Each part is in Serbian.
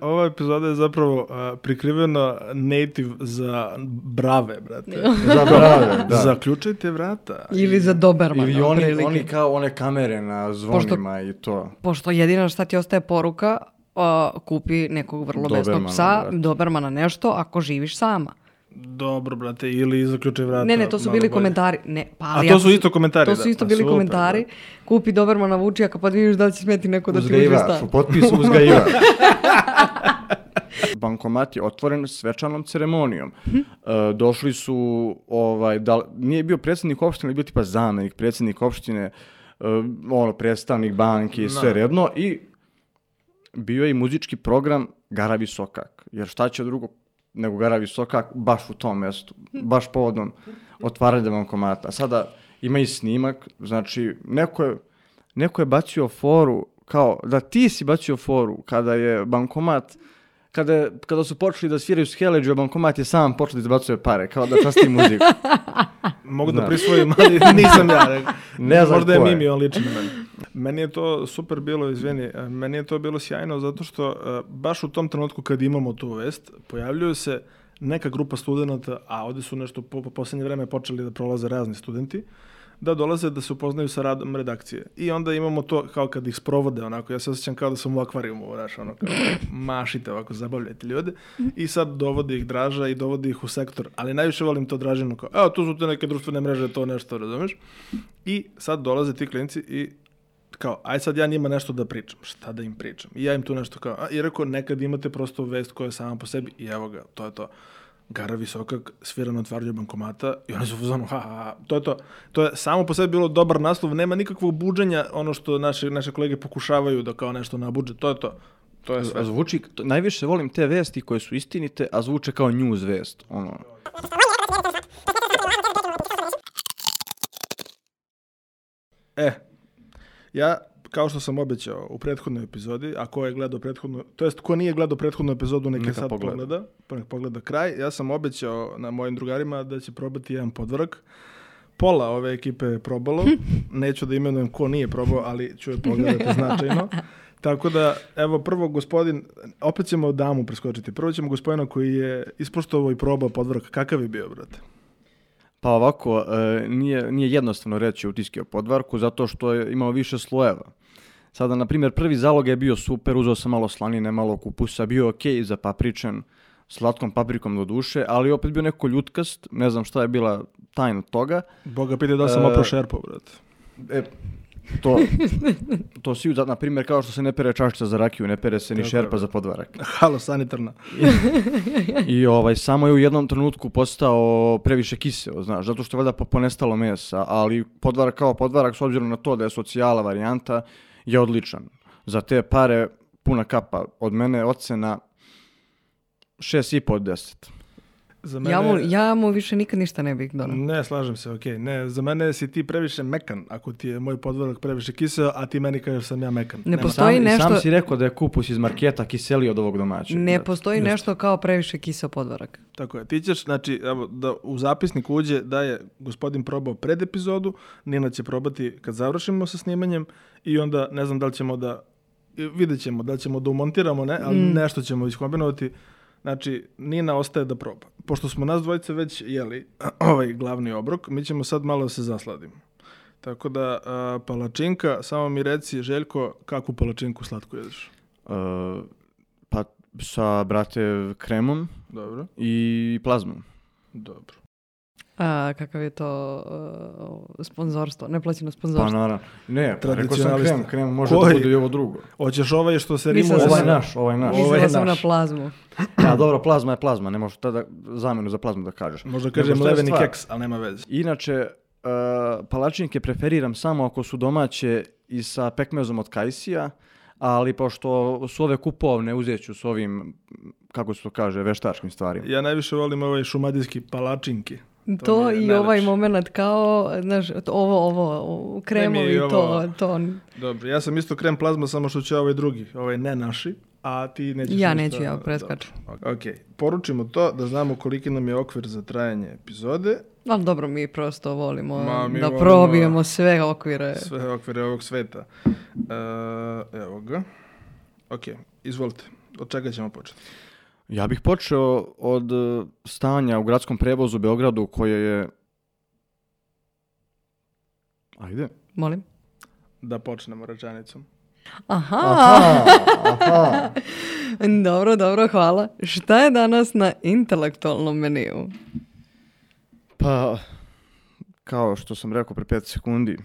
Ova epizoda je zapravo prikriveno native za brave, brate. Za brave, da. Zaključajte vrata. Ili za Dobermana. Ili oni kao one kamere na zvonima i to. Pošto jedino šta ti ostaje poruka, kupi nekog vrlo besnog psa, Dobermana nešto, ako živiš sama. Dobro, brate, ili zaključaj vrata. Ne, to su bili komentari. A to su isto komentari, to su isto bili komentari. Kupi Dobermana Vučijaka, pa vidiš da li će smeti neko da ti uđe stan. U potpisu uzgajivač. Bankomat je otvoren svečanom ceremonijom. Došli su, nije bio predsjednik opštine, ali bio tipa zamenik predsjednik opštine, predstavnik banke i sve redno. I bio je i muzički program Gara Visokak. Jer šta će drugo nego Gara Visokak baš u tom mjestu, baš povodom otvaranja bankomata. Sada ima i snimak, znači neko je bacio foru, kao da ti si bacio foru kada je bankomat, kada su počeli da sviraju s Heleđu, bankomat je sam počeo da izbacuje pare, kao da časti muziku. Mogu da prisvojim, ali nisam ja rekao. Ne znam možda je Mimi, on liči na meni. Meni je to super bilo, izvini, meni je to bilo sjajno zato što baš u tom trenutku kad imamo tu vest, pojavljuju se neka grupa studenta, a ovdje su nešto po posljednje vreme počeli da prolaze razni studenti, da dolaze da se upoznaju sa radom redakcije. I onda imamo to kao kad ih sprovode, onako, ja se osjećam kao da sam u akvarijumu, kao mašite ovako, zabavljajte ljude. I sad dovodi ih Draža i dovodi ih u sektor, ali najviše volim to Dražino, kao, evo, tu su te neke društvene mreže, to nešto, razumeš? I sad dolaze ti klinci i kao, aj sad ja njima nešto da pričam, šta da im pričam? I ja im tu nešto kao, i rekao, nekad imate prosto vest koja je sama po sebi i evo ga, to je to. Gara Visokak svira na otvaranju bankomata i oni su u fazonu, to je to. To je samo po sebi bilo dobar naslov, nema nikakvog buđenja, ono što naše kolege pokušavaju da kao nešto nabuđe, to je to. To je sve. Zvuči, najviše volim te vesti koje su istinite, a zvuče kao news vest. Ja, kao što sam obećao u prethodnoj epizodi, a ko je gledao prethodnu, to jest ko nije gledao prethodnu epizodu, neka sad pogleda kraj, ja sam obećao na mojim drugarima da će probati jedan podvrag. Pola ove ekipe je probalo, neću da imenujem ko nije probao, ali ću je pogledati značajno. Tako da, evo, prvo gospodin, opet ćemo damu preskočiti, prvo ćemo gospodina koji je ispoštovao i probao podvrag. Kakav je bio, brate? Pa ovako, nije jednostavno reći utiske o podvarku, zato što je imao više slojeva. Sada, na primjer, prvi zalog je bio super, uzeo sam malo slanine, malo kupusa, bio okej za papričan, slatkom paprikom do duše, ali opet bio neko ljutkast, ne znam šta je bila tajna toga. Boga pite da sam opro šerpo, brate. To svi, na primjer, kao što se ne pere čašica za rakiju, ne pere se ni šerpa za podvarak. Halo, sanitarna. I samo je u jednom trenutku postao previše kiseo, znaš, zato što je valjda ponestalo mesa, ali podvarak kao podvarak, s obzirom na to da je socijala varijanta, je odličan. Za te pare puna kapa. Od mene ocena 6,5 od 10. Za mene... Ja mu više nikad ništa ne bih donao. Ne, slažem se, okej. Ne, za mene si ti previše mekan, ako ti je moj podvrag previše kiseo, a ti meni kažeš sam ja mekan. Ne postoji nešto... Sam si rekao da je kupus iz marketa kiseli od ovog domaćeg. Ne postoji nešto kao previše kiseo podvrag. Tako je. Ti ćeš, znači, evo, da u zapisnik uđe da je gospodin probao pred epizodu, Nina će probati kad završimo sa snimanjem i onda ne znam da li ćemo vidjet ćemo da li ćemo da umontiramo, ne, ali nešto ćemo iskombinovati. Znači, Nina ostaje da proba. Pošto smo nas dvojice već jeli ovaj glavni obrok, mi ćemo sad malo da se zasladimo. Tako da, palačinka, samo mi reci, Željko, kakvu palačinku slatku jedeš? Pa sa, brate, kremom. Dobro. I plazmom. Dobro. Kakav je to sponzorstvo, neplaćeno sponzorstvo? Pa naravno. Ne, rekao sam krem može da bude i ovo drugo. Hoćeš ovaj što se rimuje? Ovaj naš. Mislila sam na plazmu. Ja, dobro, plazma je plazma, ne možeš tada zamenu za plazmu da kažeš. Možda kažem leveni keks, ali nema veze. Inače, palačinke preferiram samo ako su domaće i sa pekmezom od kajsija, ali pošto su ove kupovne, uzet ću s ovim, kako se to kaže, veštačkim stvarima. Ja najviše volim ovaj šumadijski palačinki. To i najlepši. Ovaj moment kao, znaš, ovo kremovi, to. Dobro, ja sam isto krem plazma, samo što će ovaj drugi, ovaj ne naši, a ti nećeš... Ja neću, ja preskačem. Ok, poručimo to da znamo koliki nam je okvir za trajanje epizode. Ali dobro, mi prosto volimo probijemo sve okvire. Sve okvire ovog sveta. Evo ga. Ok, izvolite. Od čega ćemo početi? Ja bih počeo od stanja u gradskom prevozu u Beogradu koje je... Ajde. Molim? Da počnemo rečenicom. Aha. Dobro, hvala. Šta je danas na intelektualnom meniju? Pa, kao što sam rekao pre 5 sekundi.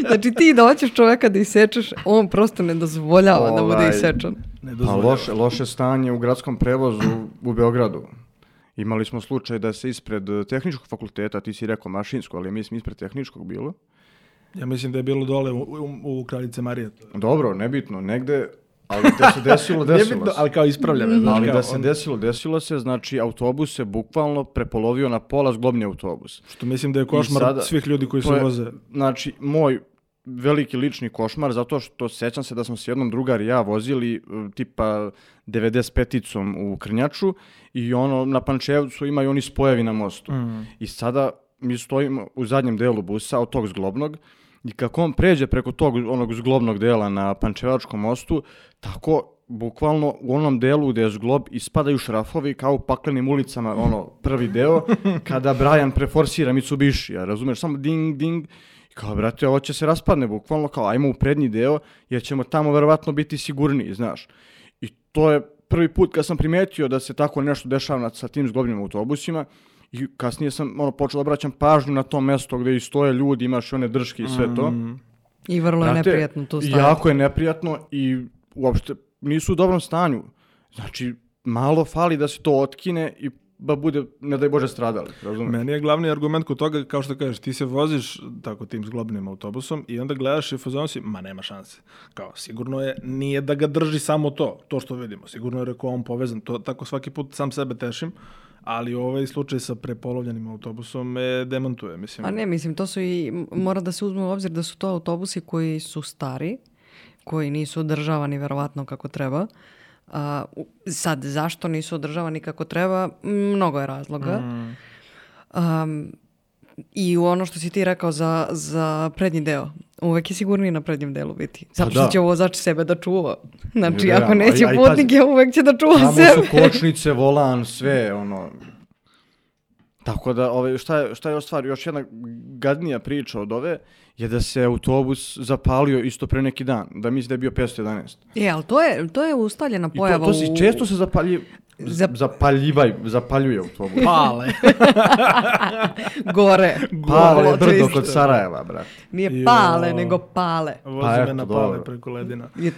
Znači ti doćeš čoveka da isečeš, on prosto ne dozvoljava da bude isečan. Pa loše stanje u gradskom prevozu u Beogradu. Imali smo slučaj da se ispred tehničkog fakulteta, ti si rekao mašinsko, ali mislim ispred tehničkog bilo. Ja mislim da je bilo dole u Kraljice Marije. Dobro, nebitno, negde, ali da se desilo se. Ali kao ispravljame. Ali da se desilo se, znači autobus se bukvalno prepolovio na pola zglobni autobus. Što mislim da je košmar svih ljudi koji se voze. Znači, moj veliki lični košmar, zato što sećam se da smo s jednom drugar i ja vozili tipa 95-icom u Krnjaču i ono na Pančevcu imaju oni spojevi na mostu. I sada mi stojimo u zadnjem delu busa od tog zglobnog i kako on pređe preko tog onog zglobnog dela na Pančevačkom mostu, tako bukvalno u onom delu gde je zglob ispadaju šrafovi kao u paklenim ulicama, ono prvi deo, kada Brian preforsira Mitsubishi, razumeš, samo ding, ding, i kao, brate, ovo će se raspadne, bukvalno kao, ajmo u prednji deo, jer ćemo tamo verovatno biti sigurniji, znaš. I to je prvi put kad sam primetio da se tako nešto dešava sa tim zglobnim autobusima, i kasnije sam počeo da obraćam pažnju na to mesto gde i stoje ljudi, imaš one drške i sve to. I vrlo je neprijatno tu staviti. Jako je neprijatno i uopšte nisu u dobrom stanju. Znači, malo fali da se to otkine i da bude, ne daj Bože, stradali. Razumiješ? Meni je glavni argument kod toga, kao što kažeš, ti se voziš tako tim zglobnim autobusom i onda gledaš i fazon si, ma nema šanse. Kao, sigurno je, nije da ga drži samo to što vidimo. Sigurno je rekao on povezan. To tako svaki put sam sebe tešim. Ali ovaj slučaj sa prepolovljenim autobusom me demantuje, mislim. A ne, mislim, to su i, mora da se uzme u obzir da su to autobusi koji su stari, koji nisu održavani verovatno kako treba. Sad, zašto nisu održavani kako treba? Mnogo je razloga. I ono što si ti rekao za prednji deo, uvek je sigurniji na prednjem delu biti. Zato što će vozač sebe da čuva. Znači, ako neće putnike, uvek će da čuva sebe. Tamo su kočnice, volan, sve, ono. Tako da, šta je stvar, još jedna gadnija priča od ove, je da se autobus zapalio isto pre neki dan, da mislim da je bio 511. Ali to je ustaljena pojava to često se zapaljuje autobus. Pale. Gore. Pale brdo kod Sarajeva, brate. Nije pale, nego pale. Vozi me na pale preko ledina. I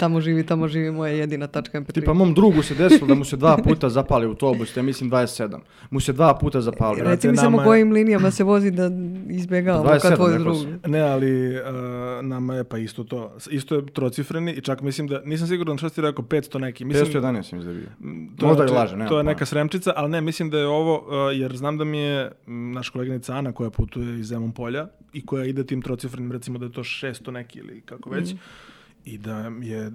tamo živi moja jedina tačka MP3. Tipa mom drugu se desilo da mu se 2 puta zapali autobus, ja mislim 27. Mu se 2 puta zapali. Reci mi samo kojim linijama se vozi da izbjegavamo kad tvoju drugu. Ne, ali nama je pa isto to. Isto je trocifreni i čak mislim da, nisam siguran što si rekao, 500 neki. 511 mislim da je bio. Možda i laže. To je neka sremčica, ali ne, mislim da je ovo, jer znam da mi je naša koleginica Ana koja putuje iz Zemun polja i koja ide tim trocifrenim, recimo da je to 600 neki ili kako već, i da je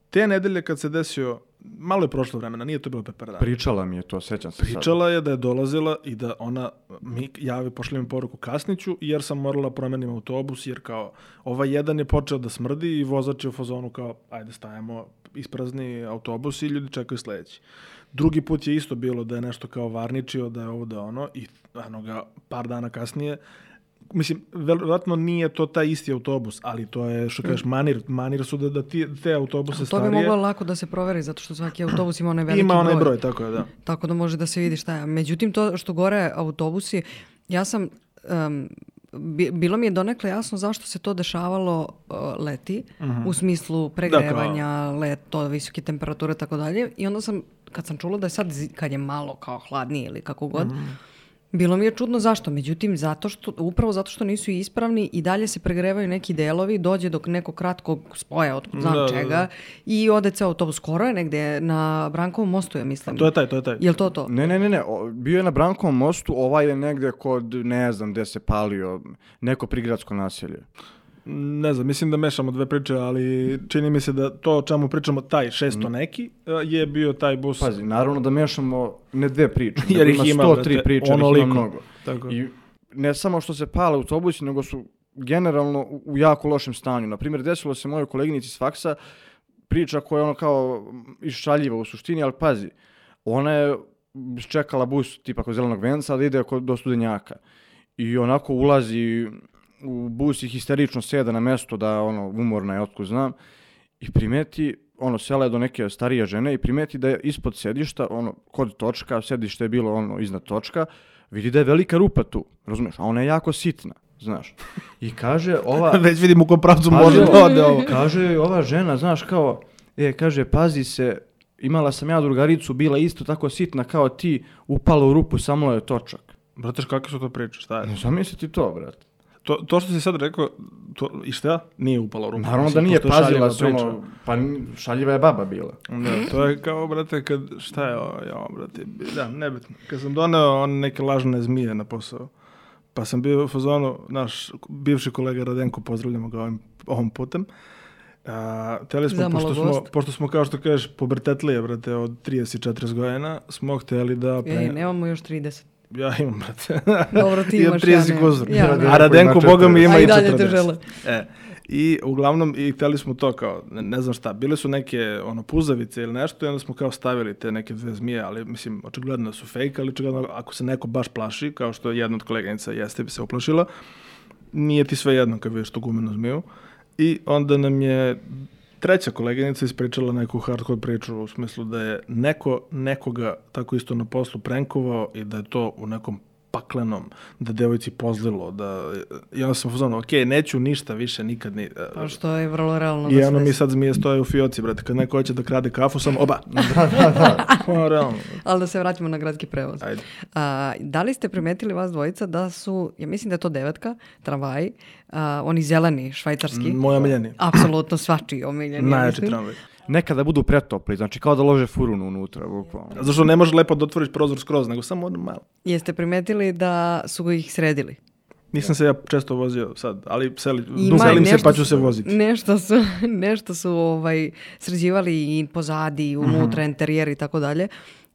te nedelje kad se desio, malo je prošlo vremena, nije to bilo pre par dana. Pričala mi je to, sećam se. Pričala je da je dolazila i da ona mi pošli mi poruku kasniću jer sam morala promenim autobus jer kao ovaj jedan je počeo da smrdi i vozač je u fazonu kao ajde stajemo, isprazni autobus i ljudi čekaju sledeći. Drugi put je isto bilo da je nešto kao varničio, da je ovo da ono i ga par dana kasnije. Mislim, verovatno nije to taj isti autobus, ali to je, što kažeš, manir su da te autobuse starije... To bi moglo lako da se proveri, zato što svaki autobus ima onaj veliki broj. Ima onaj broj, tako je, da. Tako da može da se vidi šta je. Međutim, to što gore autobusi, ja sam... bilo mi je donekle jasno zašto se to dešavalo leti, u smislu pregrevanja, leto, visoke temperature, tako dalje. I onda sam, kad sam čula da je sad, kad je malo kao hladnije ili kako god, bilo mi je čudno zašto. Međutim, upravo zato što nisu ispravni i dalje se pregrevaju neki delovi, dođe do nekog kratkog spoja od znam čega i ode ceo autobus. Skoro je negde na Brankovom mostu, ja mislim. To je taj. Jel to? Ne. Bio je na Brankovom mostu, ovaj je negde kod, ne znam gde se palio, neko prigradsko naselje. Ne znam, mislim da mešamo dve priče, ali čini mi se da to o čemu pričamo, taj 600 neki, je bio taj bus. Pazi, naravno da mešamo ne dve priče, jer ih ima 103 priče, ono ih ima mnogo. Tako. I ne samo što se pale autobusi, nego su generalno u jako lošem stanju. Naprimjer, desilo se mojoj koleginici s faksa, priča koja je ono kao iššaljiva u suštini, ali pazi, ona je čekala bus tipa kod Zelenog venca da ide do Studenjaka. I onako ulazi u bus i histerično sjeda na mesto da ono umorna je otkud znam i primeti, ono sela je do neke starije žene i primeti da je ispod sedišta, ono kod točka, sedište je bilo ono iznad točka, vidi da je velika rupa tu, razumiješ, a ona je jako sitna, znaš. I kaže ova... Već vidim u kom pravcu može da ode ovo. Kaže ova žena, znaš, kao, kaže, pazi se, imala sam ja drugaricu, bila isto tako sitna kao ti, upala u rupu, samo je točak. Brate, kakve su to priče, šta je? Ne zamisli ti to, brate. To što si sad rekao, i šta? Nije upala u rupu. Naravno da nije, pazila se ono, pa šaljiva je baba bila. Da, to je kao, brate, kad, šta je ovo, brate, da, nebitno. Kad sam doneo neke lažne zmije na posao, pa sam bio u fazonu, naš bivši kolega Radenko, pozdravljamo ga ovim putem, hteli smo, pošto smo, kao što kažeš, pubertetlije, brate, od 30-40 godina, smo hteli da... nemamo još 30. Ja imam, brate. Dobro, ti imaš, ja nemam. A Radenko, boga mi, ima i 40. A i dalje te žele. I uglavnom, i hteli smo to kao, ne znam šta, bile su neke puzavice ili nešto i onda smo kao stavili te neke dve zmije, ali mislim, očigledno da su fake, ali očigledno ako se neko baš plaši, kao što jedna od koleganica jeste bi se uplašila, nije ti sve jedno kad vidiš tu gumenu zmiju. I onda nam je treća koleginica ispričala neku hardcore priču u smislu da je neko nekoga tako isto na poslu prankovao i da je to u nekom paklenom, da devojci pozlilo, i onda sam uzmano, neću ništa više nikad ni... Pa što je vrlo realno. I ono mi sad zmije stoje u fioci, brate, kad neko hoće da krade kafu, sam oba. Da. Realno. Ali da se vratimo na gradski prevoz. Ajde. Da li ste primetili vas dvojica da su, ja mislim da je to 9, tramvaj, oni zeleni, švajcarski? Moj omiljeni. Apsolutno svačiji omiljeni. Najjači tramvaj. Nekada budu pretopli, znači kao da lože furunu unutra. Zašto ne može lepo da otvoriš prozor skroz, nego samo malo. Jeste primetili da su ih sredili? Nisam se ja često vozio sad, ali selim se pa ću se voziti. Nešto su sređivali i pozadi, i unutra, interijer i tako dalje.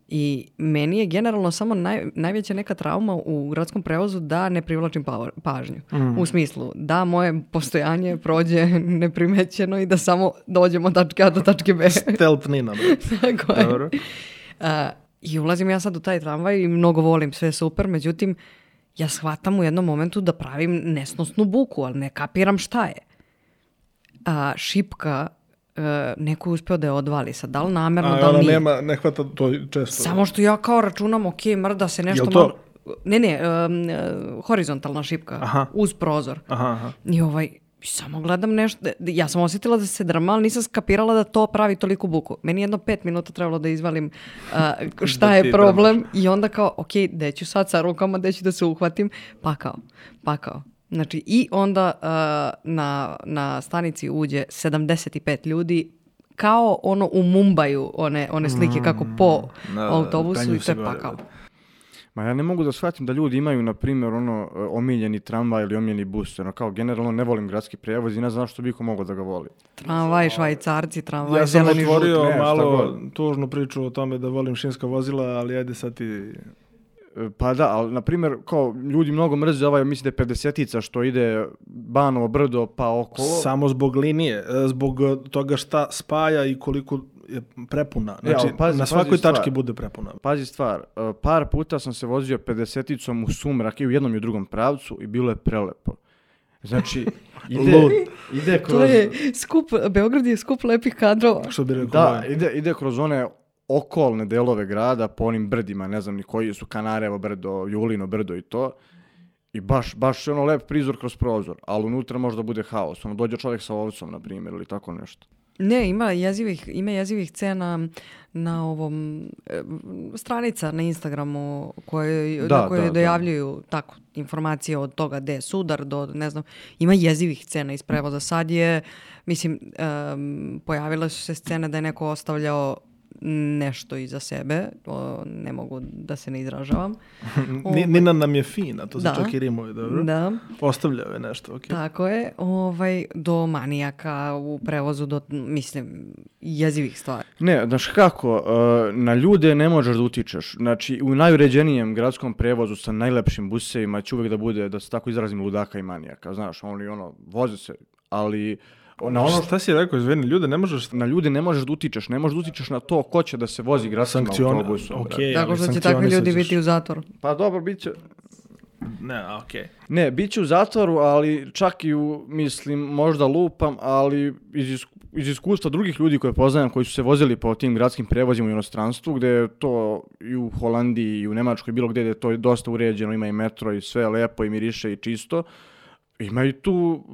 I meni je generalno samo najveća neka trauma u gradskom prevozu da ne privlačim pažnju. U smislu da moje postojanje prođe neprimećeno i da samo dođemo od tačke A do tačke B. Stealth Nina. Tako je. Dobro. I ulazim ja sad u taj tramvaj i mnogo volim, sve super, međutim ja shvatam u jednom momentu da pravim nesnosnu buku, ali ne kapiram šta je. Šipka neko je uspeo da je odvali sad, da li namerno, da li nije. Ne hvata to često. Samo što ja kao računam, mrda se nešto malo... Ne, horizontalna šipka, uz prozor. I samo gledam nešto, ja sam osjetila da se drma, ali nisam skapirala da to pravi toliku buku. Meni jedno 5 minuta trebalo da izvalim šta je problem i onda kao, gde ću sad sa rukama, gde ću da se uhvatim, pa kao. Znači, i onda na stanici uđe 75 ljudi, kao u Mumbaju, one slike kako po autobusu i to je pakao. Ma ja ne mogu da shvatim da ljudi imaju, na primjer, omiljeni tramvaj ili omiljeni bus. Kao generalno ne volim gradski prevoz i ne znam što biko mogo da ga voli. Tramvaj, švajcarci, tramvaj, ja sam otvorio malo tužnu priču o tome da volim šinska vozila, ali ajde sad ti... Pa da, ali na primjer, kao ljudi mnogo mrze mislim da je 50-ica što ide Banovo brdo pa okolo. Samo zbog linije, zbog toga šta spaja i koliko je prepuna. Znači, na svakoj tački bude prepuna. Pazi stvar, par puta sam se vozio 50-icom u sumrak i u jednom i u drugom pravcu i bilo je prelepo. Znači, ide kroz... To je Beograd je skup lepih kadrova. Što bi rekao? Da, ide kroz one okolne delove grada, po onim brdima, ne znam ni koji su, Kanarevo brdo, Julino brdo i to. I baš je lep prizor kroz prozor, ali unutra možda bude haos. Dođe čovjek sa ovcom, na primjer, ili tako nešto. Ne, ima jezivih scena na ovom stranica na Instagramu koje dojavljuju tako informacije od toga gde je sudar do ne znam, ima jezivih scena iz prevoza. Sad je, mislim, pojavile su se scene da je neko ostavljao nešto iza sebe, ne mogu da se ne izražavam. Nina nam je fina, to se čak i rimuje, dobro? Da. Ostavljao je nešto, ok. Tako je, do manijaka u prevozu, do, mislim, jezivih stvari. Ne, znaš kako, na ljude ne možeš da utičeš. Znači, u najuređenijem gradskom prevozu sa najlepšim busevima će uvijek da bude, da se tako izrazim, ludaka i manijaka. Znaš, oni voze se, ali Šta si rekao, izvini, ljude ne možeš... Na ljude ne možeš da utičeš, ne možeš da utičeš na to ko će da se vozi gradskim autobusom. Okay, tako što će takvi ljudi biti u zatvoru. Pa dobro, bit će... Ne, okej. Ne, bit će u zatvoru, ali čak i mislim, možda lupam, ali iz iskustva drugih ljudi koje poznajem, koji su se vozili po tim gradskim prevozima u inostranstvu, gde je to i u Holandiji i u Nemačkoj, bilo gde je to dosta uređeno, ima i metro i sve lepo i miriše i čisto, ima i tu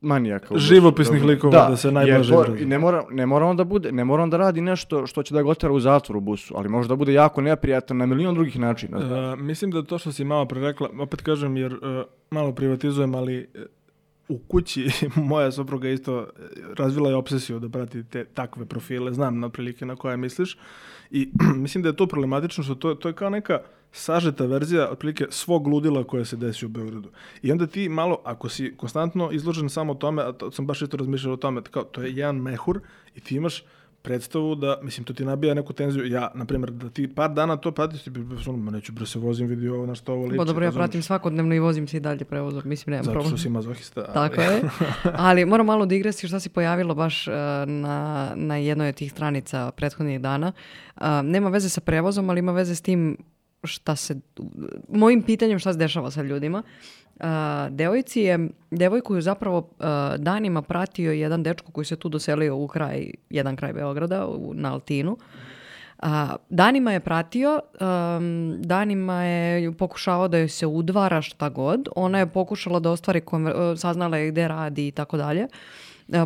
manijaka. Živopisnih likova da se najblaže izrazi. Ne mora on da radi nešto što će da ga otera u zatvor u busu, ali može da bude jako neprijatan na milion drugih načina. Mislim da to što si malo pre rekla, opet kažem jer malo privatizujem, ali u kući moja supruga isto razvila je obsesiju da prati takve profile, znam na prilike na koje misliš i mislim da je to problematično što to je kao neka sažeta verzija otprilike svog ludila koje se desi u Beogradu. I onda ti malo, ako si konstantno izložen samo tome, a to sam baš isto razmišljao o tome, kao, to je jedan mehur i ti imaš predstavu da, mislim, to ti nabija neku tenziju. Ja, na primjer, da ti par dana to pratiš, ti neću bre se vozim, vidio ovo na što ovo liči. Bo dobro, ja pratim svakodnevno i vozim se i dalje prevozom, mislim, nemam problem. Zato što si mazohista. Tako je. Ali moram malo da igresi šta se pojavilo baš na jednoj od tih stranica prethodnih dana. Nema veze sa prevozom, ali ima veze s tim mojim pitanjem šta se dešava sa ljudima. Devojku je zapravo danima pratio jedan dečko koji se tu doselio u jedan kraj Beograda, na Altinu. Danima je pratio, danima je pokušavao da joj se udvara šta god. Ona je pokušala da ostvari, saznala je gde radi i tako dalje.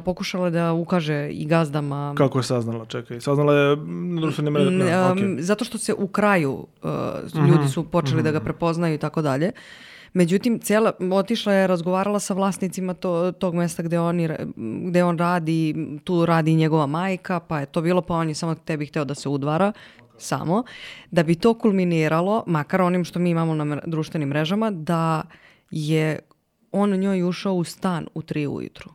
Pokušala da ukaže i gazdama. Kako je saznala? Čekaj, saznala je na društvenim mrežama. Okay. Zato što se u kraju ljudi su počeli da ga prepoznaju i tako dalje. Međutim, otišla je, razgovarala sa vlasnicima tog mesta gde on radi, tu radi njegova majka, pa je to bilo, pa on je samo tebi hteo da se udvara, samo, da bi to kulminiralo, makar onim što mi imamo na društvenim mrežama, da je on njoj ušao u stan u 3 ujutru.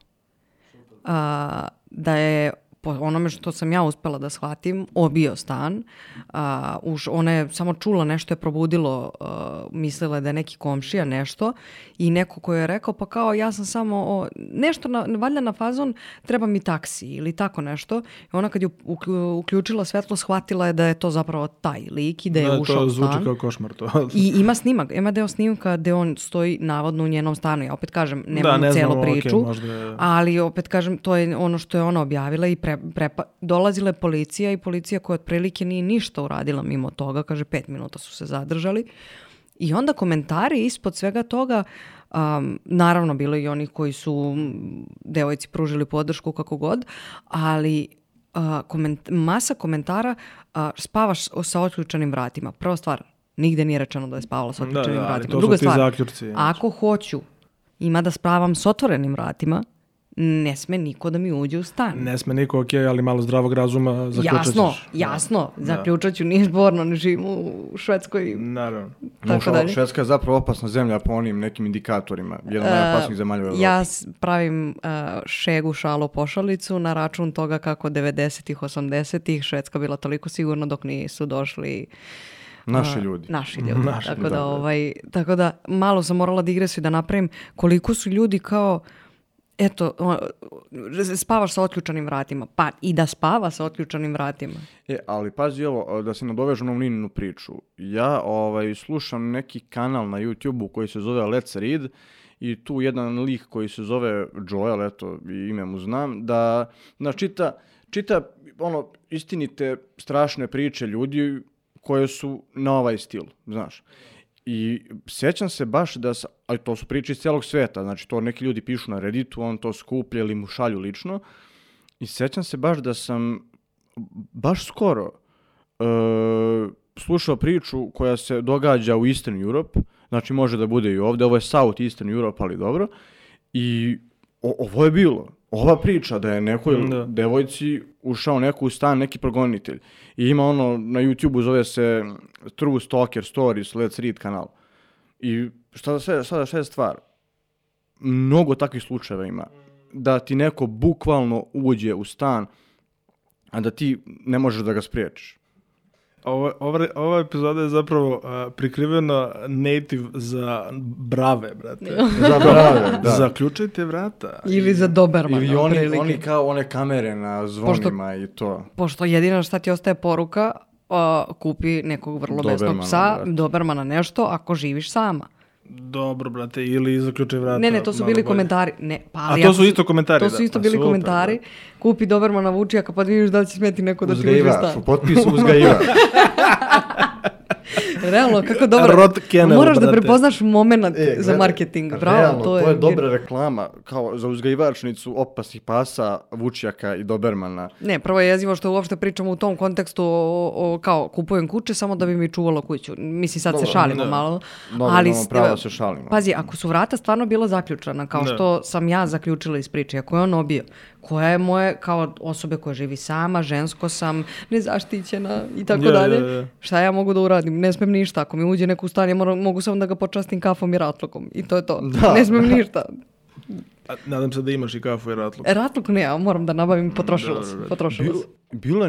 Da je, po onome što sam ja uspela da shvatim, obio stan. Ona je samo čula nešto, je probudilo, mislila da je neki komšija nešto i neko ko je rekao, pa kao ja sam samo nešto, valjda na fazon, treba mi taksi ili tako nešto. I ona kad je uključila svetlo, shvatila je da je to zapravo taj lik i da je ušao u stan. To zvuči kao košmar to. I ima snimak, ima deo snimka gde on stoji navodno u njenom stanu. Ja opet kažem, nemam celu priču, okay, ali opet kažem, to je ono što je ona objavila i dolazila je policija i policija koja otprilike nije ništa uradila mimo toga, kaže 5 minuta su se zadržali. I onda komentari ispod svega toga, naravno bilo i onih koji su devojci pružili podršku kako god, ali masa komentara, spavaš sa otključanim vratima. Prva stvar, nigde nije rečeno da je spavala sa otključenim vratima. Druga stvar, zaključci, ako hoću, ima da spavam s otvorenim vratima, ne sme niko da mi uđe u stan. Ne sme niko, okej, ali malo zdravog razuma zaključat ćeš. Jasno, zaključat ću, nije zborno, ne živim u Švedskoj. Naravno. Švedska je zapravo opasna zemlja po onim nekim indikatorima. Jedna od najopasnijih zemalja u Evropi. Ja pravim šegu, šalu, pošalicu na račun toga kako 90-ih, 80-ih Švedska bila toliko sigurna dok nisu došli naši ljudi. Tako da malo sam morala da igresu i da napravim koliko su ljudi kao eto, spavaš sa otključanim vratima. Pa i da spava sa otključanim vratima. Ali pazi ovo, da se nadovežu na Nininu priču. Ja slušam neki kanal na YouTube-u koji se zove Let's Read i tu jedan lik koji se zove Joel, eto, ime mu znam, da čita istinite strašne priče ljudi koje su na ovaj stil, znaš. I sjećam se baš ali to su priče iz cijelog svijeta, znači to neki ljudi pišu na Redditu, on to skuplja ili mu šalju lično. I sjećam se baš da sam baš skoro slušao priču koja se događa u Eastern Europe, znači može da bude i ovdje, ovo je South Eastern Europe, ali dobro. I ovo je bilo, ova priča da je nekoj devojci ušao neko u stan, neki progonitelj. I ima na YouTube-u zove se True Stalker Stories, Let's Read kanal. I šta je stvar? Mnogo takvih slučajeva ima. Da ti neko bukvalno uđe u stan, a da ti ne možeš da ga spriječiš. Ova epizoda je zapravo prikriveno native za brave, brate. Za brave, da. Zaključajte vrata. Ili za Dobermana. Ili oni kao one kamere na zvonima i to. Pošto jedino šta ti ostaje poruka, kupi nekog vrlo besnog psa, Dobermana nešto, ako živiš sama. Dobro, brate, ili zaključaj vrata. Ne, to su bili komentari. A to su isto komentari, to su isto bili komentari. Kupi Dobermana Vučijaka, pa vidiš da li će smeti neko da ti uđe u stan. U potpisu uzgajivač. Realno, kako dobro. Moraš da prepoznaš moment za marketing. Bravo, realno, to je dobra reklama. Kao za uzgajivačnicu opasnih pasa, Vučijaka i Dobermana. Ne, prvo je jezivo što uopšte pričamo u tom kontekstu kao kupujem kuće samo da bi mi čuvalo kuću. Mislim, sad se šalimo malo. Ali pravo se šalimo. Pazi, ako su vrata stvarno bila zaključana, kao što sam ja zaključila iz priče, ako je on obio, koja je moje, kao osobe koja živi sama, žensko sam, nezaštićena i tako dalje. Šta ja mogu da uradim? Ne smem ništa. Ako mi uđe neko u stan, ja mogu samo da ga počastim kafom i ratlukom. I to je to. Da. Ne smem ništa. Nadam se da imaš i kafu i ratluk. Ratluk ne, ja moram da nabavim, potrošila se. Bilo je,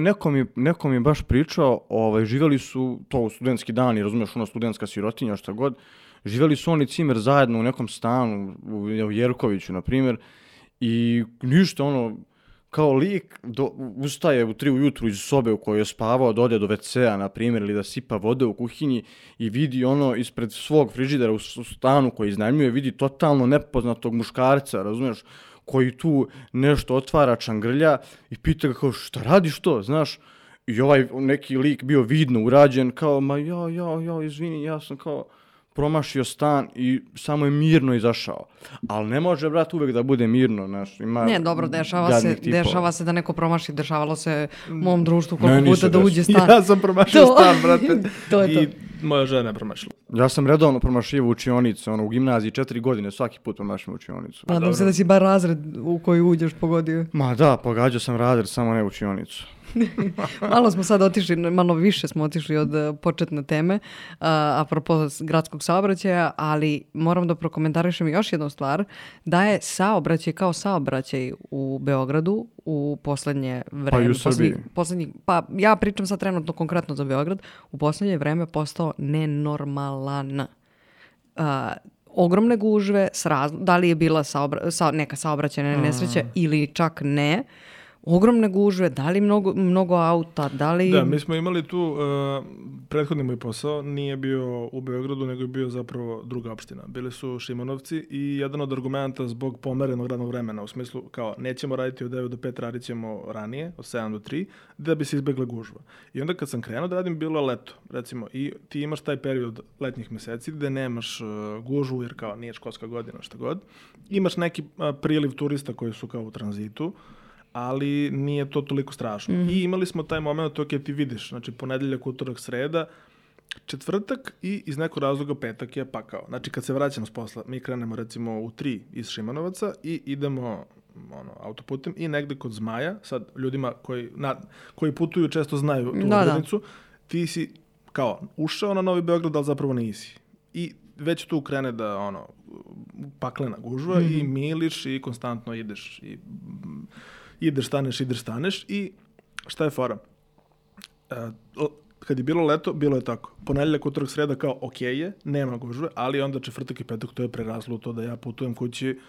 neko mi je baš pričao, živjeli su to u studentski dani, razumiješ, studentska sirotinja, šta god, živjeli su oni cimer zajedno u nekom stanu, u Jerkoviću, na primjer, i ništa, kao lik ustaje u 3 ujutru iz sobe u kojoj je spavao, da ode do WC-a, na primjer, ili da sipa vode u kuhinji i vidi ispred svog frižidera u stanu koji iznajmljuje, vidi totalno nepoznatog muškarca, razumiješ, koji tu nešto otvara, čangrlja i pita ga kao šta radiš to, znaš? I neki lik bio vidno urađen, kao izvini, ja sam kao promašio stan i samo je mirno izašao. Ali ne može, brat, uvek da bude mirno. Ne, dobro, dešava se da neko promaši. Dešavalo se u mom društvu koliko puta da uđe stan. Ja sam promašio stan, brate. I moja žena je promašila. Ja sam redovno promašio učionicu. U gimnaziji 4 godine svaki put promašim učionicu. Nadam se da si bar razred u koji uđeš pogodio. Ma da, pogađao sam razred, samo ne učionicu. Malo smo sad otišli, malo više smo otišli od početne teme, apropo gradskog saobraćaja, ali moram da prokomentarišem još jednu stvar, da je saobraćaj kao saobraćaj u Beogradu u poslednje vreme. Pa i u Srbiji. Ja pričam sad trenutno konkretno za Beograd, u poslednje vreme postao nenormalan. Ogromne gužve, da li je bila neka saobraćajna nesreća ili čak ne, ogromne gužve, da li mnogo auta, da li... Da, mi smo imali tu, prethodni moj posao nije bio u Beogradu, nego je bio zapravo druga opština. Bili su Šimanovci i jedan od argumenta zbog pomerenog radnog vremena, u smislu kao nećemo raditi od 9 do 5, radit ćemo ranije, od 7 do 3, da bi se izbjegla gužva. I onda kad sam krenuo da radim, bilo je leto, recimo, i ti imaš taj period letnjih meseci gde nemaš gužvu, jer kao nije školska godina, šta god. Imaš neki priliv turista koji su kao u tranzitu, ali nije to toliko strašno. I imali smo taj moment, to kad ti vidiš, znači ponedeljak, utorak, sreda, četvrtak i iz nekog razloga petak je pakao. Znači kad se vraćamo s posla, mi krenemo recimo u 3 iz Šimanovaca i idemo autoputem i negde kod Zmaja, sad ljudima koji putuju često znaju tu odrednicu, ti si kao ušao na Novi Beograd, ali zapravo nisi. I već tu krene da paklena gužva i miliš i konstantno ideš i ideš, staneš i šta je fora? Kad je bilo leto, bilo je tako. Ponedeljak, utorak, sreda kao okej je, nema gužve, ali onda četvrtak i petak to je preraslo to da ja putujem kući,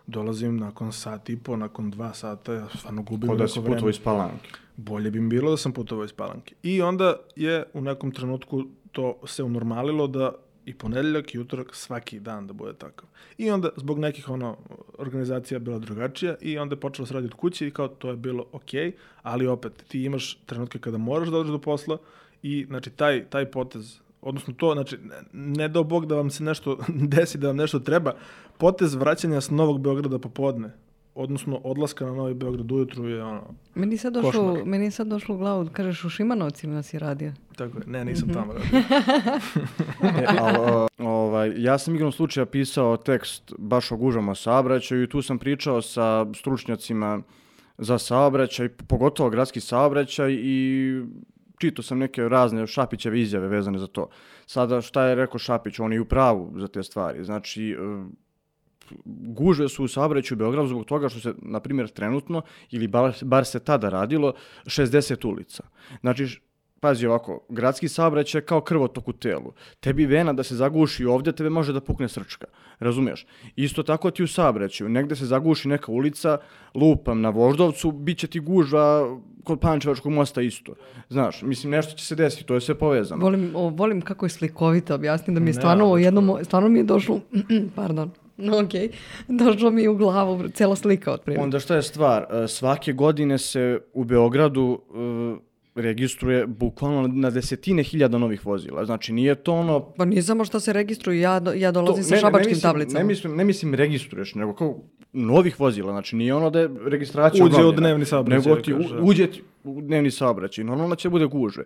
dolazim nakon sat i po, nakon 2 sata, ja stvarno gubim neko vreme. Da si putovao iz Palanke. Bolje bi mi bilo da sam putovao iz Palanke. I onda je u nekom trenutku to se unormalilo da i ponedeljak i utorak svaki dan da bude takav. I onda zbog nekih organizacija bila drugačija i onda je počelo se raditi od kuće i kao to je bilo okej, ali opet ti imaš trenutke kada moraš da dođeš do posla i znači taj potez, odnosno to, znači ne dao Bog da vam se nešto desi, da vam nešto treba, potez vraćanja s Novog Beograda popodne, odnosno odlaska na Novi Beograd ujutru je Meni je sad došlo u glavu, kažeš u Šimanovcima si radio. Tako je, ne, nisam tamo radio. Ja sam igrom slučaja pisao tekst baš o gužvama saobraćaju i tu sam pričao sa stručnjacima za saobraćaj, pogotovo gradski saobraćaj i čitao sam neke razne Šapićeve izjave vezane za to. Sada šta je rekao Šapić, on je u pravu za te stvari. Znači, gužve su u saobraćaju u Beogradu zbog toga što se, na primjer, trenutno, ili bar se tada radilo, 60 ulica. Znači, pazi ovako, gradski saobraćaj je kao krvotok u telu. Tebi vena da se zaguši ovdje, tebe može da pukne srčka. Razumiješ? Isto tako ti u saobraćaju. Negde se zaguši neka ulica, lupam na Voždovcu, bit će ti gužva kod Pančevačkog mosta isto. Znaš, mislim, nešto će se desiti, to je sve povezano. Volim kako je slikovito objasniti da mi je stvarno mi je došlo, pardon, došlo mi je u glavu cijela slika otprilike. Onda šta je stvar? Svake godine se u Beogradu registruje bukvalno na desetine hiljada novih vozila. Znači, nije to ono... Pa nije samo što se registruju, ja dolazim sa šabačkim tablicama. Ne mislim registruješ, nego kao novih vozila. Znači, nije ono da je registracija uđe u dnevni saobraćaj. Nego ti uđe u dnevni saobraćaj. Normalno će bude gužve.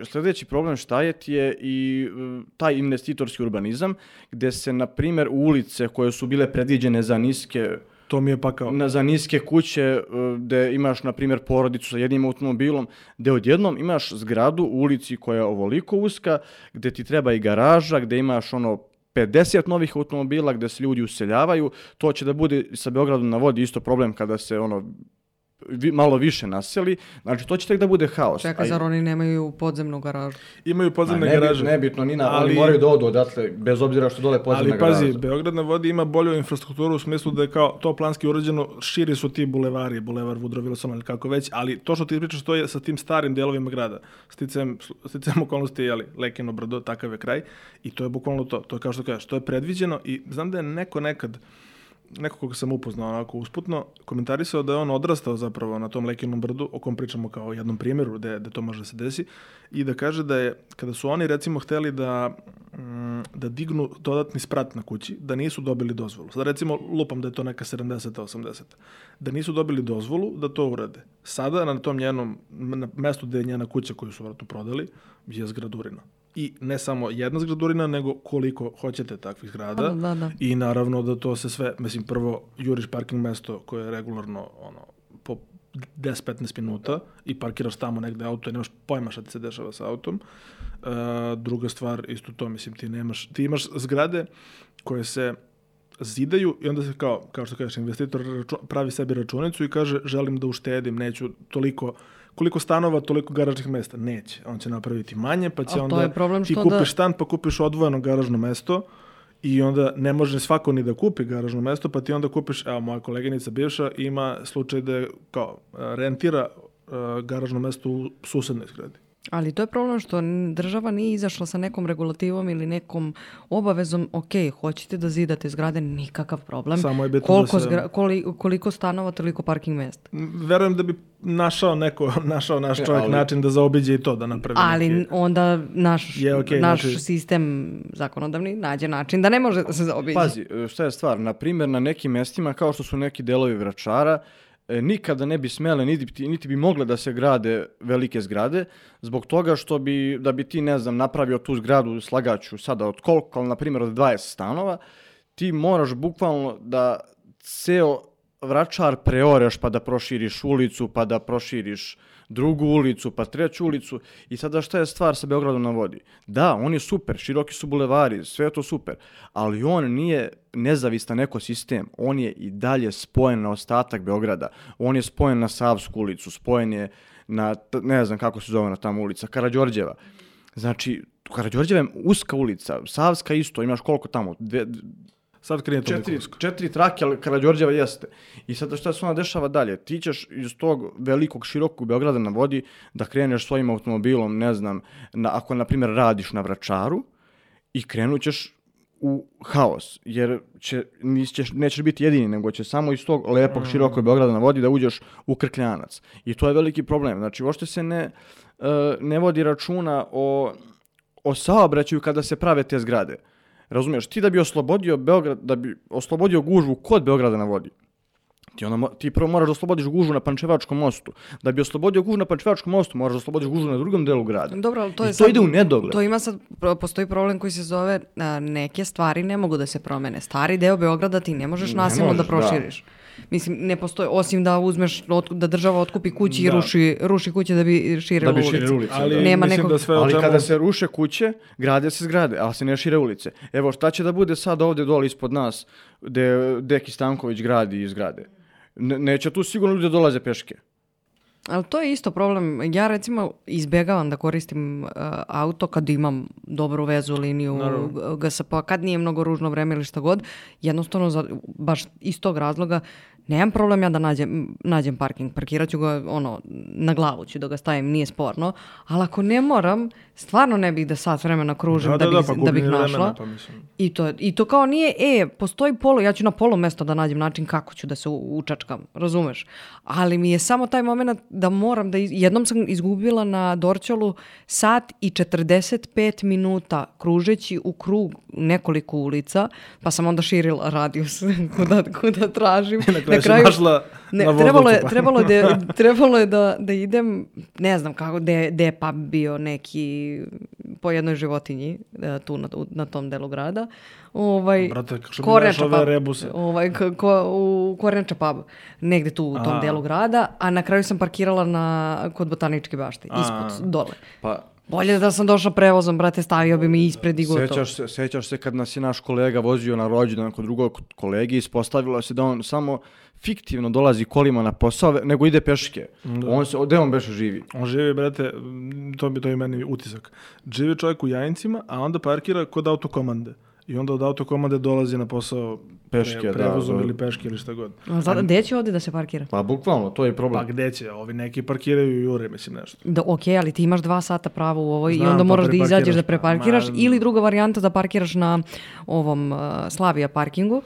Sljedeći problem šta je ti je i taj investitorski urbanizam, gdje se, na primjer, ulice koje su bile predviđene za niske... To mi je pakao. Za niske kuće gdje imaš, na primjer, porodicu sa jednim automobilom, gdje odjednom imaš zgradu u ulici koja je ovoliko uska, gdje ti treba i garaža, gdje imaš 50 novih automobila, gdje se ljudi useljavaju. To će da bude sa Beogradom na vodi isto problem kada se malo više naseli. Znači, to će tek da bude haos. Čekaj, zar oni nemaju podzemnu garažu? Imaju podzemne garaže. Nebitno, oni moraju da odu odatle, bez obzira što dole podzemna garaža. Ali pazi, Beograd na vodi ima bolju infrastrukturu u smislu da je kao to planski urađeno, širi su ti bulevari, bulevar Woodrow Wilsona ili kako već, ali to što ti pričaš to je sa tim starim delovima grada. Sticajem okolnosti, Lekino brdo, takav je kraj i to je bukvalno to. To je kao što kažeš, to je predviđeno i znam da je neko koga sam upoznao onako usputno, komentarisao da je on odrastao zapravo na tom Lekinom brdu, o kom pričamo kao jednom primjeru gde to može da se desi, i da kaže da je, kada su oni recimo hteli da dignu dodatni sprat na kući, da nisu dobili dozvolu. Sada recimo lupam da je to neka 70-80. Da nisu dobili dozvolu da to urade. Sada na tom njenom mestu gde je njena kuća koju su vratno prodali je zgradurina. I ne samo jedna zgradurina, nego koliko hoćete takvih zgrada. Da. I naravno da to se sve, mislim, prvo juriš parking mesto koje je regularno po 10-15 minuta i parkiraš tamo negde auto i nemaš pojma šta ti se dešava sa autom. Druga stvar, isto to, mislim, ti imaš zgrade koje se zidaju i onda se kao što kažeš, investitor pravi sebi računicu i kaže želim da uštedim, neću toliko, koliko stanova, toliko garažnih mesta. Neće. On će napraviti manje, pa će onda ti kupiš stan, pa kupiš odvojeno garažno mesto i onda ne može svako ni da kupi garažno mesto, pa ti onda kupiš, evo moja koleginica bivša ima slučaj da je kao rentira garažno mesto u susednoj zgradi. Ali to je problem što država nije izašla sa nekom regulativom ili nekom obavezom, hoćete da zidate zgrade, nikakav problem. Samo je bitno koliko stanova, toliko parking mesta. Verujem da bi našao naš čovjek način da zaobiđe i to, da napravi ali onda naš sistem zakonodavni nađe način da ne može da se zaobiđe. Pazi, šta je stvar, na primjer na nekim mestima kao što su neki delovi Vračara, nikada ne bi smele, niti bi mogle da se grade velike zgrade, zbog toga što da bi ti, ne znam, napravio tu zgradu, slagaću sada od koliko, ali na primjer od 20 stanova, ti moraš bukvalno da ceo Vračar preoreš pa da proširiš ulicu, pa da proširiš drugu ulicu, pa treću ulicu. I sada šta je stvar sa Beogradom na vodi? Da, on je super, široki su bulevari, sve je to super, ali on nije nezavistan ekosistem, on je i dalje spojen na ostatak Beograda, on je spojen na Savsku ulicu, spojen je na, ne znam kako se zove na tamo ulica, Karađorđeva. Znači, Karađorđeva je uska ulica, Savska isto, imaš koliko tamo, sad krije toliko usko. 4 trake, ali Karađorđeva jeste. I sada šta se ona dešava dalje? Ti ćeš iz tog velikog, širokog Beograda na vodi da kreneš svojim automobilom, ne znam, ako na primjer radiš na Vračaru i krenut ćeš u haos, jer nećeš biti jedini, nego će samo iz tog lepog, širokog Beograda na vodi da uđeš u Krkljanac. I to je veliki problem. Znači, uopšte se ne vodi računa o saobraćaju kada se prave te zgrade. Razumiješ, ti da bi oslobodio Beograd, da bi oslobodio gužvu kod Beograda na vodi, ti prvo moraš da oslobodiš gužvu na Pančevačkom mostu. Da bi oslobodio gužvu na Pančevačkom mostu, moraš da oslobodiš gužvu na drugom delu grada. Dobro, ali to ide u nedogled. To ima sad, postoji problem koji se zove neke stvari ne mogu da se promene. Stari deo Beograda ti ne možeš nasilno da proširiš. Mislim, ne postoji, osim da uzmeš, da država otkupi kući i ruši kuće da bi širila ulice. Ali kada se ruše kuće, grade se zgrade, ali se ne šire ulice. Evo, šta će da bude sad ovdje dole ispod nas, gde Deki Stanković gradi i zgrade? Neće tu sigurno ljudi dolaze peške. Ali to je isto problem. Ja recimo izbjegavam da koristim auto kad imam dobru vezu, liniju, GSP, kad nije mnogo ružno vreme ili šta god. Jednostavno, baš iz tog razloga, nemam problem ja da nađem parking. Parkirat ću ga, na glavu ću da ga stavim, nije sporno. Ali ako ne moram, stvarno ne bih da sat vremena kružim da bih našla. I to kao nije, postoji ja ću na polo mesto da nađem način kako ću da se učačkam, razumeš? Ali mi je samo taj moment da moram jednom sam izgubila na Dorćolu sat i 45 minuta kružeći u krug nekoliko ulica, pa sam onda širila radijus kuda tražim. Na kraju trebalo je da idem, ne znam kako, gde je pub bio neki po jednoj životinji tu na tom delu grada. Brate, što mi daš ove rebuse? U Kornjača pub, negde tu u tom delu grada, a na kraju sam parkirala kod Botaničke bašte, ispod, dole. Bolje da sam došla prevozom, brate, stavio bi mi ispred i gotovo. Sećaš se kad nas je naš kolega vozio na rođendan kod drugog kolege, ispostavilo se da on samo fiktivno dolazi kolima na posao, nego ide peške. Gde on beše živi? On živi, brate, to je meni utisak. Živi čovjek u Jajincima, a onda parkira kod autokomande. I onda od autokomande dolazi na posao prevozom ili peške ili šta god. Gde će ovdje da se parkira? Pa bukvalno, to je problem. Pa gde će? Ovi neki parkiraju i jure, mislim nešto. Ok, ali ti imaš 2 sata pravo u ovoj i onda moraš da izađeš da preparkiraš ili druga varijanta da parkiraš na ovom Slavija parkingu.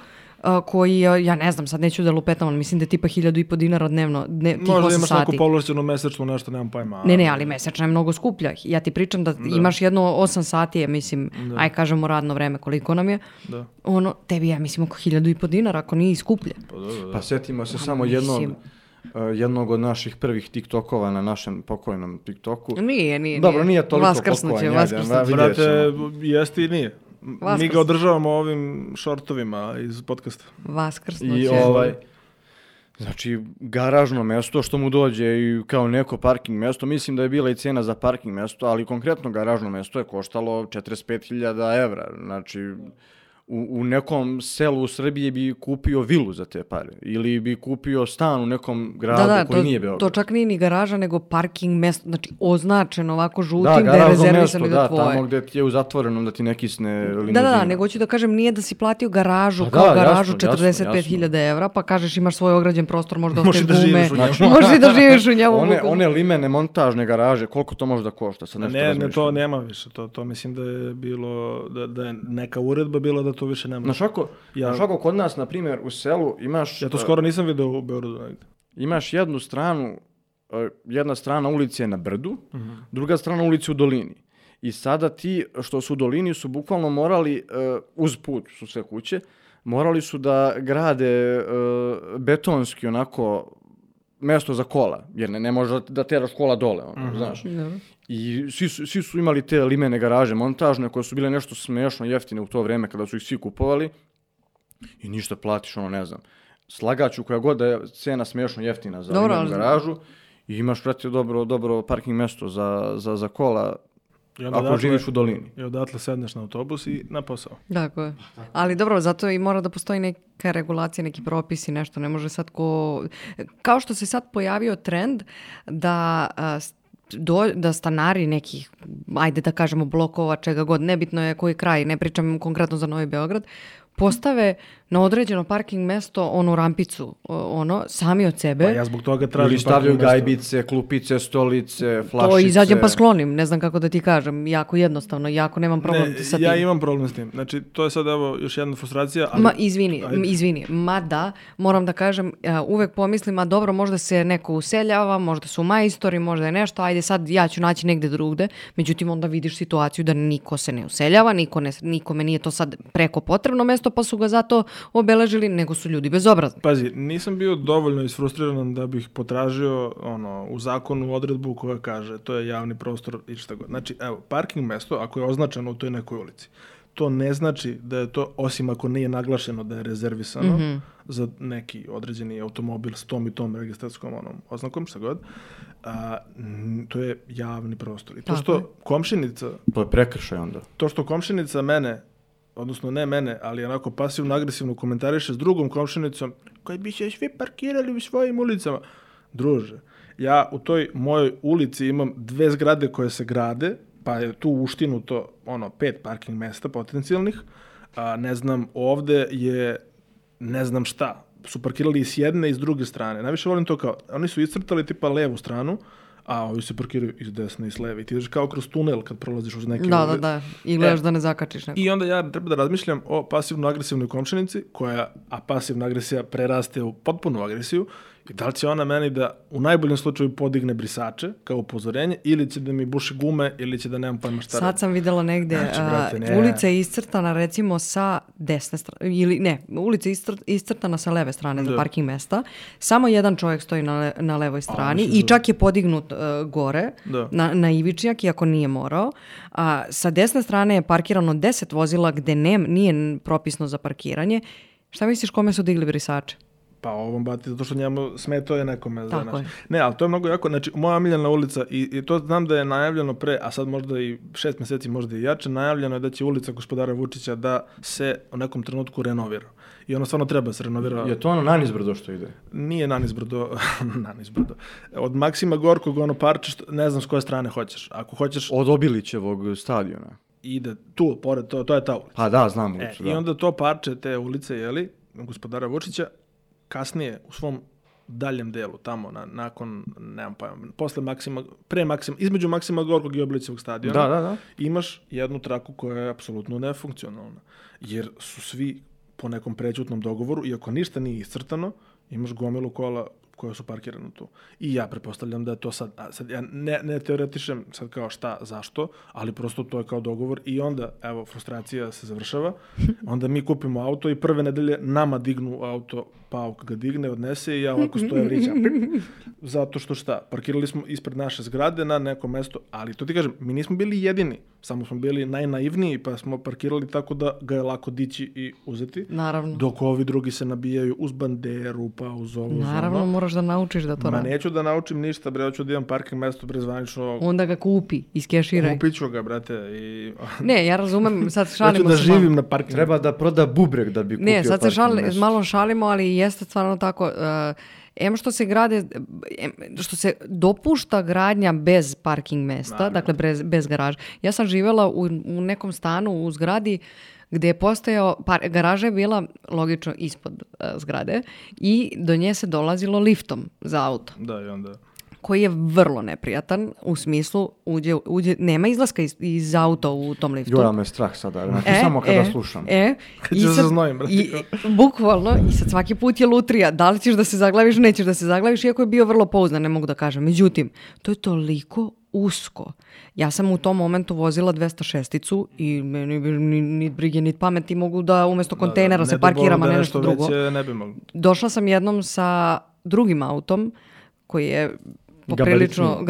Koji, ja ne znam, sad neću da lupetam, ali mislim da je tipa 1.500 dinara dnevno, tih 8 sati. Možda imaš neku povlašćenu mesečnu nešto, nemam pojma. Ne, ali mesečna je mnogo skuplja. Ja ti pričam da imaš jedno 8 sati, mislim, aj kažemo radno vreme, koliko nam je. Da. Tebi ja mislim oko 1.500 dinara, ako nije i skuplje. Pa setimo se samo jednog od naših prvih TikTokova na našem pokojnom TikToku. Nije. Dobro, nije toliko pokojnje. Brate, jeste i nije. Mi ga održavamo ovim šortovima iz podcasta. Vaskrsnuće. Znači, garažno mesto što mu dođe i kao neko parking mesto, mislim da je bila i cena za parking mesto, ali konkretno garažno mesto je koštalo 45.000 evra. Znači, u nekom selu u Srbiji bi kupio vilu za te pare ili bi kupio stan u nekom gradu koji nije Beograd. To čak nije ni garaža, nego parking mesto, znači označeno ovako žutim da je rezervisano za tvoje. Da, tamo gde ti je u zatvorenom da ti ne kisne limuzina. Da, nego ću da kažem nije da si platio garažu kao garažu 45.000 evra, pa kažeš imaš svoj ograđen prostor, možda ostaje gume, možeš i da živiš u njemu. One limene montažne garaže, koliko to može da košta? Ne, to nema više, to mislim da je bilo, da je neka uredba bila da to više nema. Znaš ako kod nas, na primjer, u selu imaš... Ja to skoro nisam vidio u Beogradu. Imaš jednu stranu, jedna strana ulice je na brdu, druga strana ulice u dolini. I sada ti što su u dolini su bukvalno morali, uz put su sve kuće, morali su da grade betonski onako mesto za kola, jer ne može da teraš kola dole, znaš. I svi su imali te limene garaže montažne koje su bile nešto smešno jeftine u to vreme kada su ih svi kupovali i ništa platiš, ne znam. Slagaću koja god da je cena smešno jeftina za limenu garažu i imaš, brate, dobro parking mesto za kola ako živiš u dolini. I odatle sedneš na autobus i na posao. Tako je. Ali dobro, zato i mora da postoji neka regulacija, neki propisi, nešto. Ne može sad kao što se sad pojavio trend da stanari nekih, ajde da kažemo blokova, čega god, nebitno je koji kraj, ne pričam konkretno za Novi Beograd, postave na određeno parking mesto, onu rampicu, sami od sebe. Pa ja zbog toga tražim ili stavljaju gajbice, klupice, stolice, flašice. To izađem pa sklonim, ne znam kako da ti kažem, jako jednostavno, jako nemam problem sa tim. Ja imam problem s tim, znači to je sad evo još jedna frustracija. Ali... Izvini, mada moram da kažem, uvek pomislim, a dobro, možda se neko useljava, možda su majstori, možda je nešto, ajde sad ja ću naći negde drugde, međutim onda vidiš situaciju da niko se ne useljava, nikome nije to sad preko potrebno mesto, pa su ga zato obeležili, nego su ljudi bezobrazni. Pazi, nisam bio dovoljno isfrustriran da bih potražio u zakonu odredbu koja kaže to je javni prostor i šta god. Znači, evo, parking mesto, ako je označeno u toj nekoj ulici, to ne znači da je to, osim ako nije naglašeno da je rezervisano za neki određeni automobil s tom i tom registrarskom oznakom, šta god, to je javni prostor. I to što komšinica... To je prekršaj onda. To što komšinica mene, odnosno ne mene, ali onako pasivno-agresivno komentariše s drugom komšinicom koji bi se svi parkirali u svojim ulicama. druže, ja u toj mojoj ulici imam 2 zgrade koje se grade, pa je tu uštinuto 5 parking mesta potencijalnih, ne znam, ovde je ne znam šta, su parkirali i s jedne i s druge strane. Najviše volim to kao, oni su iscrtali tipa levu stranu, a ovi se parkiraju iz desne i s leve. I ti ideš kao kroz tunel kad prolaziš uz neke... Da. I gledaš da ne zakačiš neko. I onda ja treba da razmišljam o pasivno-agresivnoj komšinici, a pasivna agresija preraste u potpunu agresiju, i da li će ona meni da u najboljem slučaju podigne brisače kao upozorenje, ili će da mi buši gume, ili će da nemam pojma šta. Sad sam videla negde, ulica je iscrtana recimo sa desne strane, ili ne, ulica je iscrtana sa leve strane za parking mesta. Samo jedan čovjek stoji na levoj strani i čak je podignut gore na ivičnjak, iako nije morao. Sa desne strane je parkirano 10 vozila gde nije propisno za parkiranje. Šta misliš kome su digli brisače? Pa ovom bati, zato što njemu smetao je nekome. Ne, ali to je mnogo jako. Znači, moja omiljena ulica, i to znam da je najavljeno pre, a sad možda i 6 mjeseci, možda i jače, najavljeno je da će ulica gospodara Vučića da se u nekom trenutku renovira. I ono stvarno treba se renovira. Je to ono nanizbrdo što ide? Nije nanizbrdo. Od Maksima Gorkog, parče, ne znam s koje strane hoćeš. Ako hoćeš... Od Obilićevog stadiona. Ide tu, pored, to je ta ulica. Pa da, znam ulicu, I onda to parče te ulice, gospodara Vučića, kasnije u svom daljem delu, tamo, nakon, nemam pojma, između Maksima Gorkog i Obilićevog stadiona, imaš jednu traku koja je apsolutno nefunkcionalna. Jer su svi po nekom prećutnom dogovoru, iako ništa nije iscrtano, imaš gomilu kola koja su parkirana tu. I ja pretpostavljam da je to sad ja ne teoretišem sad kao šta, zašto, ali prosto to je kao dogovor i onda, evo, frustracija se završava, onda mi kupimo auto i prve nedelje nama dignu auto, Pauk ga digne, odnese i ja ovako stoja vrićam. Zato što šta, parkirali smo ispred naše zgrade na neko mesto, ali to ti kažem, mi nismo bili jedini, samo smo bili najnaivniji, pa smo parkirali tako da ga je lako dići i uzeti. Naravno. Dok ovi drugi se nabijaju uz banderu, pa uz ovo. Naravno, moraš da naučiš da to radi. Neću da naučim ništa, bre, hoću da imam parking mesto prezvanično. Onda ga kupi, iskeširaj. Kupit ću ga, brate. Ne, ja razumem, sad šalimo se. Hoću da živim na parking. Treba da proda bubreg da bi kupio parking mesto. Ne, sad se malo šalimo, ali jeste stvarno tako. Što se grade, što se dopušta gradnja bez parking mesta, dakle bez garaža. Ja sam živjela u nekom stanu u zgradi gdje je postojao, garaža je bila logično ispod zgrade i do nje se dolazilo liftom za auto. Da, i onda... Koji je vrlo neprijatan, u smislu nema izlaska iz auta u tom liftu. Joj, me strah sada, samo kada slušam. Kad se zaznojim, brate. Bukvalno, i sad svaki put je lutrija, da li ćeš da se zaglaviš, nećeš da se zaglaviš, iako je bio vrlo pouzdan, ne mogu da kažem. Međutim, to je toliko usko. Ja sam u tom momentu vozila 206-icu i meni ni brige, ni pameti mogu da umjesto kontejnera se parkiram, a ne nešto drugo. Ne bi mogli. Došla sam jednom sa drugim autom koji je poprilično...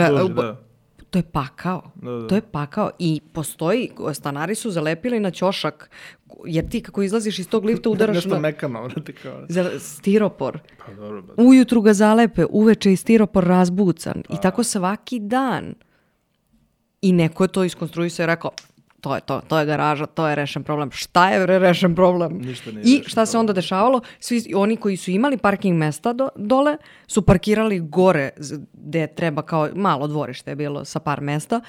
To je pakao. Da. To je pakao i postoji, stanari su zalepili na ćošak, jer ti kako izlaziš iz tog lifta udaraš nešto mekano, kao. Stiropor. Pa, dobro, ujutru ga zalepe, uveče je stiropor razbucan. I tako svaki dan. I neko je to iskonstruisao i rekao, to je garaža, to je rešen problem. Šta je rešen problem? I šta se onda dešavalo? Svi oni koji su imali parking mesta dole su parkirali gore gde treba, kao malo dvorište je bilo sa par mesta,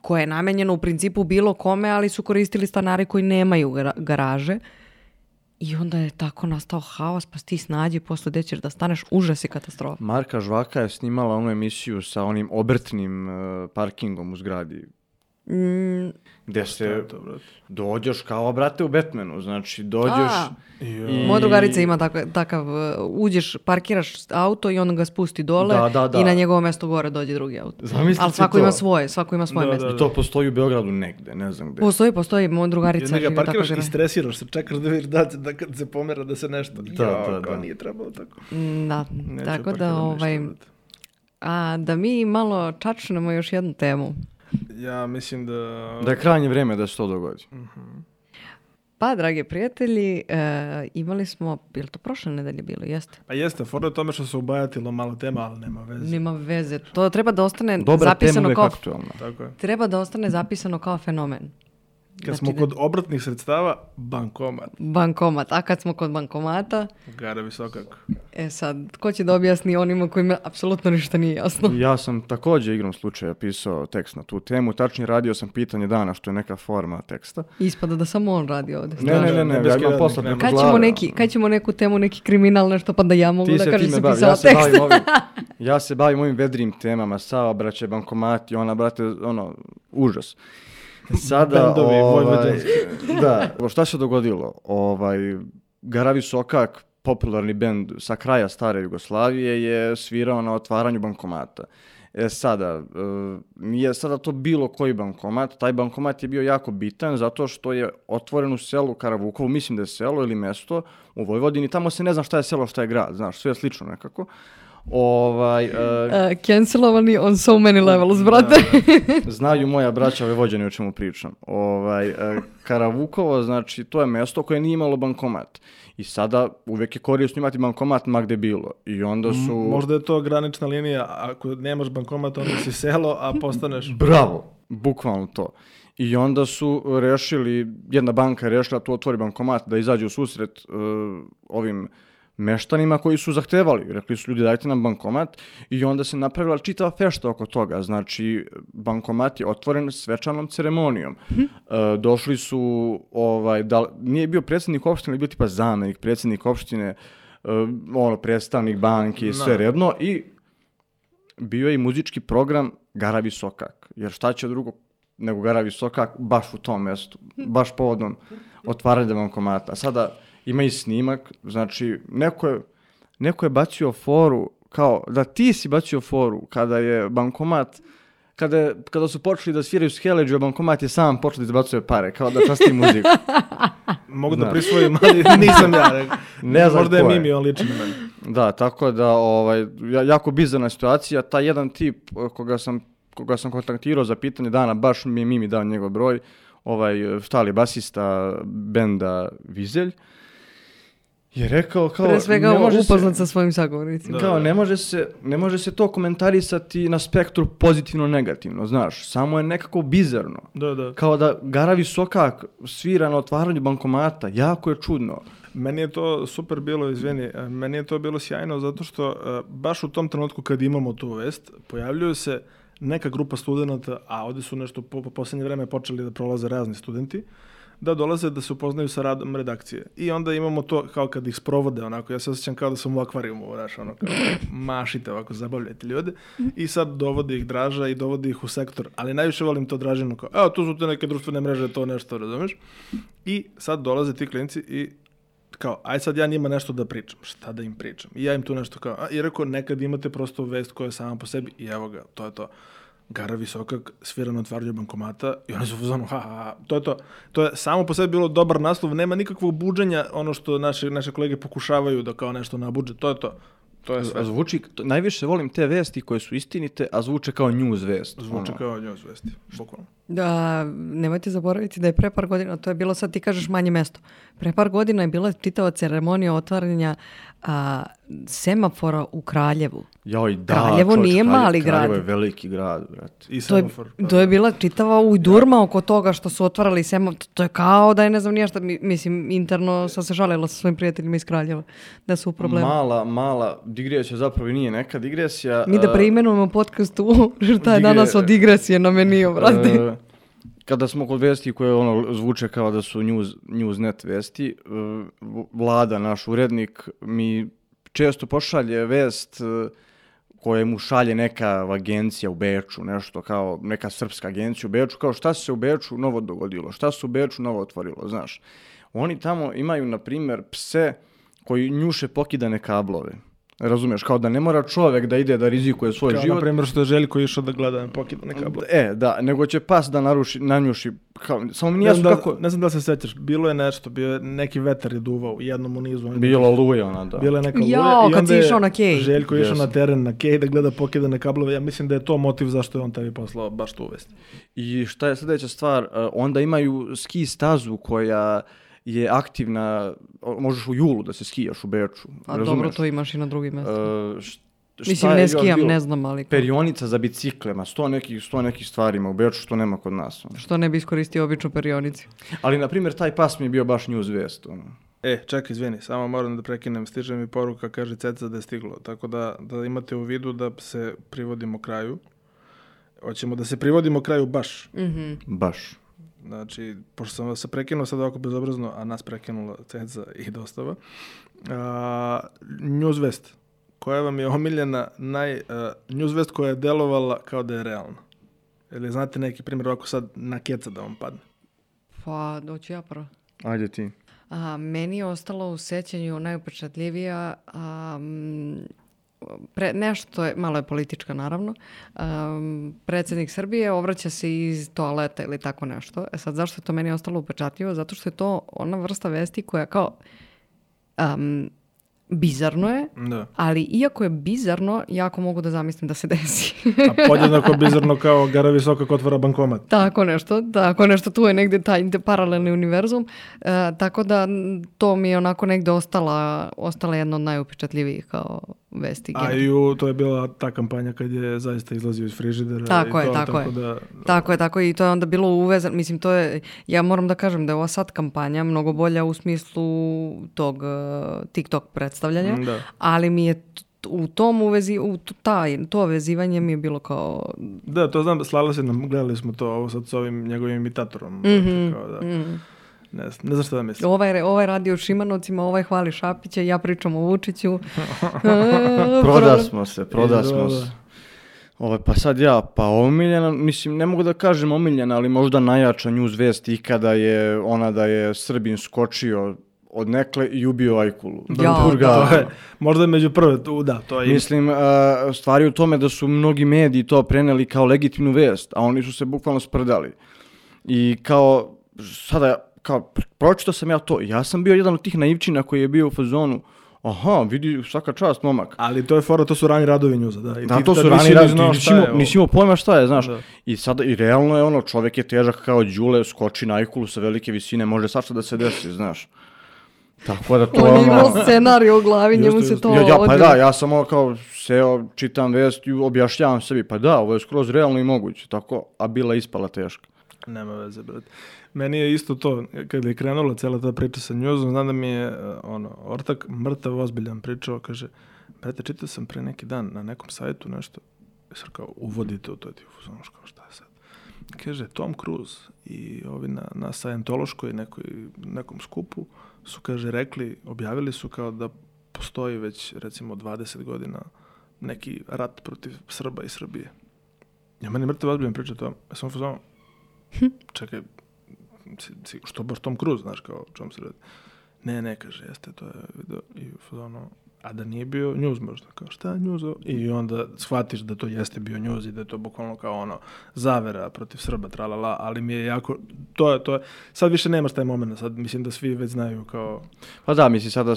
koje je namenjeno u principu bilo kome, ali su koristili stanari koji nemaju garaže. I onda je tako nastao haos, pa ti snađi posle gde ćeš da staneš, užas i katastrofa. Marka Žvaka je snimala onu emisiju sa onim obrtnim parkingom u zgradi. Gde se dođeš kao, brate, u Batmanu, znači dođeš i... Moja drugarica ima takav, uđeš, parkiraš auto i on ga spusti dole i na njegovo mesto gore dođe drugi auto. Zamislite ali svako ima svoje mesto. I to postoji u Beogradu negde, ne znam gde. Postoji, moja drugarica živi tako. Parkiraš i stresiraš se, čekaš da vidiš da kad se pomera da se nešto... Kao nije trebalo tako. Da, tako da da mi malo čačnemo još jednu temu. Ja mislim da je krajnje vrijeme da se to dogodi. Uh-huh. Pa, dragi prijatelji, imali smo, je li to prošle nedelje bilo? Jeste? Pa jeste, fora je tome što se ubajatilo malo tema, ali nema veze. Nema veze, to treba da ostane dobra zapisano tema, kao... aktualna. Tako je. Treba da ostane zapisano kao fenomen. Kad smo kod obratnih sredstava, bankomat. Bankomat. A kad smo kod bankomata? Gara visokako. Sad, ko će da objasni onima kojima apsolutno ništa nije jasno? Ja sam također igrom slučaja pisao tekst na tu temu. Tačnije radio sam pitanje dana, što je neka forma teksta. Ispada da samo on radi ovdje. Ne, ja imam posla preko glave. Kad ćemo neku temu, neki kriminal, nešto, pa da ja mogu da kažem sam pisala tekst. Ja se bavim ovim vedrim temama, saobraćaj, bankomati, brate, užas. Sada, šta se dogodilo? Gara Visokak, popularni bend sa kraja stare Jugoslavije, je svirao na otvaranju bankomata. Sada, nije sada to bilo koji bankomat, taj bankomat je bio jako bitan zato što je otvoren u selu Karavukovu, mislim da je selo ili mesto u Vojvodini, tamo se ne zna šta je selo, šta je grad, znaš, sve je slično nekako. Cancelovani on so many levels, brate. Znaju moja braća Vojvođani o čemu pričam. Karavukovo, znači, to je mesto koje nije imalo bankomat. I sada uvijek je korisno imati bankomat ma gde bilo. I onda su... Možda je to granična linija, ako nemaš bankomat, onda si selo, a postaneš... Bravo, bukvalno to. I onda su rešili, jedna banka je rešila tu otvori bankomat da izađe u susret ovim meštanima koji su zahtevali. Rekli su ljudi dajte nam bankomat i onda se napravila čitava fešta oko toga. Znači, bankomat je otvoren svečanom ceremonijom. Došli su, nije bio predsjednik opštine, ali bio tipa zamenik, predsjednik opštine, predstavnik banke, sve redno. I bio je i muzički program Gara Visokak. Jer šta će drugo nego Gara Visokak baš u tom mjestu, baš povodom otvaranja bankomata. Sada ima i snimak, znači neko je bacio foru, kao da ti si bacio foru kada je bankomat, kada su počeli da sviraju Skeleđu, a bankomat je sam počeo da izbacuje pare, kao da časti muziku. Mogu da prisvojim, ali nisam ja. Ne znam možda je Mimi, on liči na meni. Da, tako da, jako bizarna situacija. Taj jedan tip koga sam kontaktirao za pitanje dana, baš mi je Mimi dao njegov broj, štali basista benda Vizelj, je rekao kao... Pre svega upoznat sa svojim sagovornicima. Kao ne može se to komentarisati na spektru pozitivno-negativno, znaš, samo je nekako bizarno. Da. Kao da Gara Visokak svira na otvaranju bankomata, jako je čudno. Meni je to super bilo, meni je to bilo sjajno zato što baš u tom trenutku kad imamo tu vest, pojavljuju se neka grupa studenta, a ovdje su nešto po posljednje vreme počeli da prolaze razni studenti, da dolaze da se upoznaju sa radom redakcije. I onda imamo to kao kad ih sprovode, onako, ja se osjećam kao da sam u akvarijumu, kao mašite ovako, zabavljajte ljude. I sad dovodi ih Draža i dovodi ih u sektor, ali najviše volim to Dražinu, kao, evo, tu su te neke društvene mreže, to nešto, razumeš? I sad dolaze ti klinci i kao, aj sad ja njima nešto da pričam. Šta da im pričam? I ja im tu nešto kao, i rekao, nekad imate prosto vest koja je sama po sebi i evo ga, to je to. Gara Visokak svira na otvaranju bankomata i oni su u zonu, to je to. To je samo po sebi bilo dobar naslov, nema nikakvog buđenja, ono što naše kolege pokušavaju da kao nešto nabuđe, to je to. To je sve. Zvuči, najviše volim te vesti koje su istinite, a zvuče kao news vest. Zvuče kao news vesti, bukvalno. Da, nemojte zaboraviti da je pre par godina, to je bilo sad ti kažeš manje mesto, pre par godina je bila čitava ceremonija otvaranja semafora u Kraljevu. Kraljevo nije mali grad. Kraljevo je veliki grad, brate. I semafor. To je bila čitava ujdurma oko toga što su otvarali semafor. To je kao da je ne znam nije šta, mislim, interno sam se žalila sa svojim prijateljima iz Kraljeva da su u problemu. Mala digresija, zapravo i nije neka digresija. Mi da preimenujemo podcast u šta je danas od digresije na meniju, brate. Kada smo kod vesti koje zvuče kao da su Newsnet vesti, Vlada, naš urednik, mi često pošalje vest koje mu šalje neka agencija u Beču, nešto kao neka srpska agencija u Beču, kao šta se u Beču novo dogodilo, šta se u Beču novo otvorilo, znaš. Oni tamo imaju, na primjer, pse koji njuše pokidane kablove. Razumiješ, kao da ne mora čovjek da ide da rizikuje svoj život. Kao na primjer što je Željko išao da gleda pokidane kablove. Da, nego će pas da nanjuši, kao, samo mi nije jasno kako... Ne znam da se sećaš, bilo je nešto, neki vetar je duvao u jednom u nizu. Bilo luja ona, da. Bila je neka luja i onda je Željko išao na teren na Kej da gleda pokidane kablove. Ja mislim da je to motiv zašto je on tebi poslao baš tu vest. I šta je sljedeća stvar, onda imaju ski stazu koja je aktivna, možeš u julu da se skijaš u Beču. A razumeš? Dobro, to imaš i na drugim mjestima. Mislim, ne skijam, ne znam, ali... Perionica za biciklema, 100 nekih stvarima u Beču što nema kod nas. Što ne bi iskoristio običnu perionici. Ali, na primjer, taj pas mi je bio baš news vest. Čekaj, izvini, samo moram da prekinem, stiže mi poruka, kaže Ceca da je stiglo, tako da imate u vidu da se privodimo kraju. Hoćemo da se privodimo kraju baš. Baš. Znači, pošto sam vas prekinuo sad ovako bezobrazno, a nas prekinula Ceca i dostava. News vest. Koja vam je omiljena news vest koja je delovala kao da je realna? Ili znate neki primjer ovako sad na keca da vam padne? Pa, doću ja prvo. Ajde ti. Meni je ostalo u sećanju najupečatljivija nešto je, malo je politička naravno, predsjednik Srbije obraća se iz toaleta ili tako nešto. Sad zašto je to meni ostalo upečatljivo? Zato što je to ona vrsta vesti koja kao bizarno je, ali iako je bizarno, jako mogu da zamislim da se desi. A podjednako bizarno kao Gara Visokak otvara bankomat. Tako nešto, tu je negdje taj paralelni univerzum, tako da to mi je onako negdje ostala jedna od najupečatljivijih kao vesti. To je bila ta kampanja kad je zaista izlazio iz frižidera. Tako je, i to je onda bilo uvezano, mislim, to je, ja moram da kažem da je ova sad kampanja mnogo bolja u smislu tog TikTok predstavljanja, ali mi je u tom to vezivanje mi je bilo kao... Da, to znam, slala se nam, gledali smo to ovo sad s ovim njegovim imitatorom. Ne znam što da mislim. Ovaj radi o Šimanovcima, ovaj hvali Šapića, ja pričam o Vučiću. Prodasmo se. Pa sad omiljena, mislim, ne mogu da kažem omiljena, ali možda najjača news vest ikada je ona da je Srbin skočio od nekle i ubio Ajkulu. Možda je među prve, to je... Mislim, stvari u tome da su mnogi mediji to preneli kao legitimnu vest, a oni su se bukvalno sprdali. I kao, pročitao sam ja to, ja sam bio jedan od tih naivčina koji je bio u fazonu, vidi, svaka čast, momak. Ali to je fora, to su rani radovi njuza, da. Da, to su rani radovi, nisi imao pojma šta je, znaš. I sada, i realno je čovjek je težak kao Đule, skoči na Ajkulu sa velike visine, može svašta da se desi, znaš. Tako da to on je imao scenarij u glavi, njemu se to ja sam kao seo, čitam vest i objašnjavam sebi, ovo je skroz realno i moguće, tako, a bila ispala teška. Nema veze, brate. Meni je isto to, kada je krenula cijela ta priča sa njuzom, znam da mi je ortak mrtav ozbiljan pričao, kaže, brate, čitao sam pre neki dan na nekom sajtu nešto, sad kao uvodite u to, ti uzonoš kao šta je sad. Kaže, Tom Cruise i ovi na Scientološkoj nekom skupu su, kaže, objavili su kao da postoji već, recimo, 20 godina neki rat protiv Srba i Srbije. Ja meni mrtav ozbiljan priča to, ja sam uzono, čekaj, što baš Tom Cruise, znaš, kao čom se radi. Ne, kaže, jeste, to je video i a da nije bio news možda, kao šta je news? I onda shvatiš da to jeste bio news i da je to bukvalno kao zavera protiv Srba, tralala, ali mi je jako, to je, sad više nemaš taj moment, sad mislim da svi već znaju kao... Pa da, mislim sada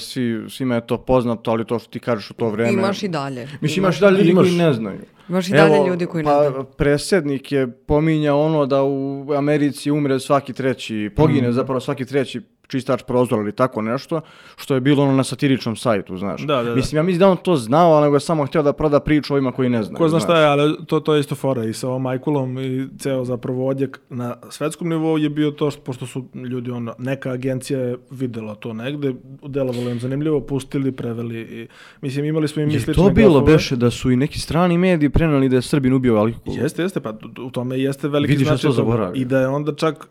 svima je to poznato, ali to što ti kažeš u to vreme... Imaš i dalje. Mislim, imaš i dalje ljudi koji ne znaju. Imaš i dalje ljudi koji ne znaju. Predsjednik je pominjao da u Americi umre svaki treći, pogine zapravo svaki treći čistač prozora ili tako nešto, što je bilo na satiričnom sajtu, znaš. Da. Mislim, ja mislim da on to znao, ali nego je samo htio da proda priču ovima koji ne znaju. Ko zna šta je, ali to je isto fora i sa ovom Ajkulom i ceo zapravo odjek na svetskom nivou je bio to, pošto su ljudi, neka agencija je videla to negde, delovalo im zanimljivo, pustili, preveli i, mislim, imali smo i mi slične gafove. Je to bilo, beše, da su i neki strani mediji preneli da je Srbin ubio Ajkulu? Jeste, pa u tome jeste veliki značaj toga. I da je onda čak,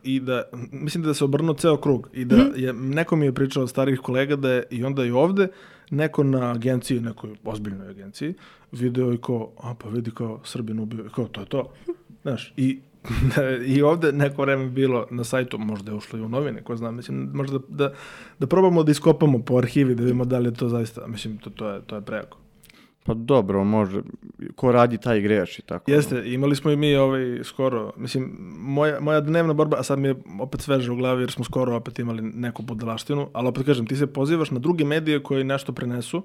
mislim da se obrnuo ceo krug i da neko mi je pričao od starih kolega da je i onda i ovde neko na agenciji, nekoj ozbiljnoj agenciji, video i kao, pa vidi kao Srbin ubio, kao to je to. Znaš, i ovde neko vreme bilo na sajtu, možda je ušlo i u novine, ko znam, mislim, možda da probamo da iskopamo po arhivi, da vidimo da li je to zaista, mislim, to je prejako. Pa dobro, može, ko radi taj greši, tako. Jeste, imali smo i mi skoro, mislim, moja dnevna borba, a sad mi je opet sveže u glavi jer smo skoro opet imali neku budalaštinu, ali opet kažem, ti se pozivaš na druge medije koji nešto prenesu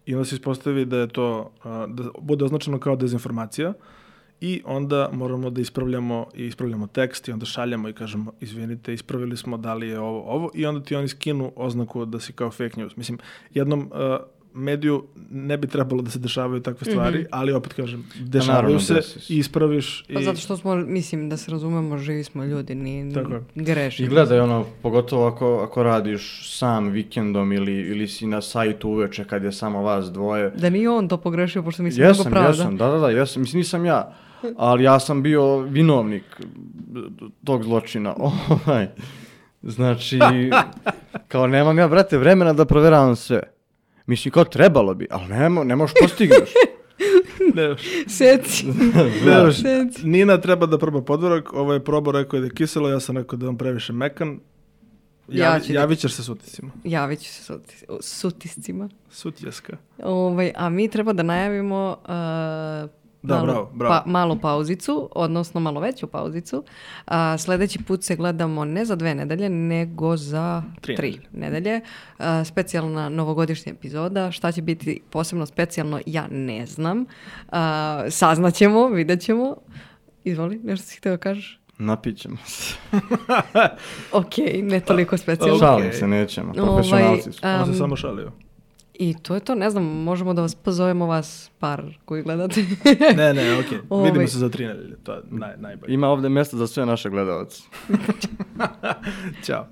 i onda se ispostavi da je to, da bude označeno kao dezinformacija i onda moramo da ispravljamo tekst i onda šaljamo i kažemo, izvinite, ispravili smo, da li je ovo i onda ti oni skinu oznaku da si kao fake news. Mislim, jednom mediju ne bi trebalo da se dešavaju takve stvari, ali opet kažem, dešavaju naravno, se, desi. ispraviš. Pa zato što smo, mislim, da se razumemo, živi smo ljudi, ni Tako je. grešimo. I gledaj, pogotovo ako radiš sam vikendom ili si na sajtu uveče kad je samo vas dvoje. Da nije on to pogrešio, pošto mislim mnogo pravda. Jesam, da, mislim, nisam ja, ali ja sam bio vinovnik tog zločina. Znači, kao nemam ja, brate, vremena da proveravam sve. Mislim, kao trebalo bi, ali ne možeš postigneš. Seci. Nina treba da proba podvorak, ovo je probao, rekao je da je kiselo, ja sam rekao da je on previše mekan. Javit ćeš se s utiscima. Javit ću se s utiscima. Sutjeska. A mi treba da najavimo Bravo. malu pauzicu, odnosno malo veću pauzicu. Sljedeći put se gledamo ne za 2 nedelje, nego za 3 nedelje. Specijalna novogodišnja epizoda. Šta će biti posebno specijalno, ja ne znam. Saznaćemo, vidjet ćemo. Izvoli, nešto si htio kažeš? Napićemo se. Ok, ne toliko specijalno. Šalim se, nećemo. Profesionalci su. On se samo šalio. I to je to, ne znam, možemo da vas pozovemo vas par koji gledate. ne, okej. Vidimo se za 3 nedelje, to je najbolje. Ima ovdje mjesta za sve naše gledalce. Ćao.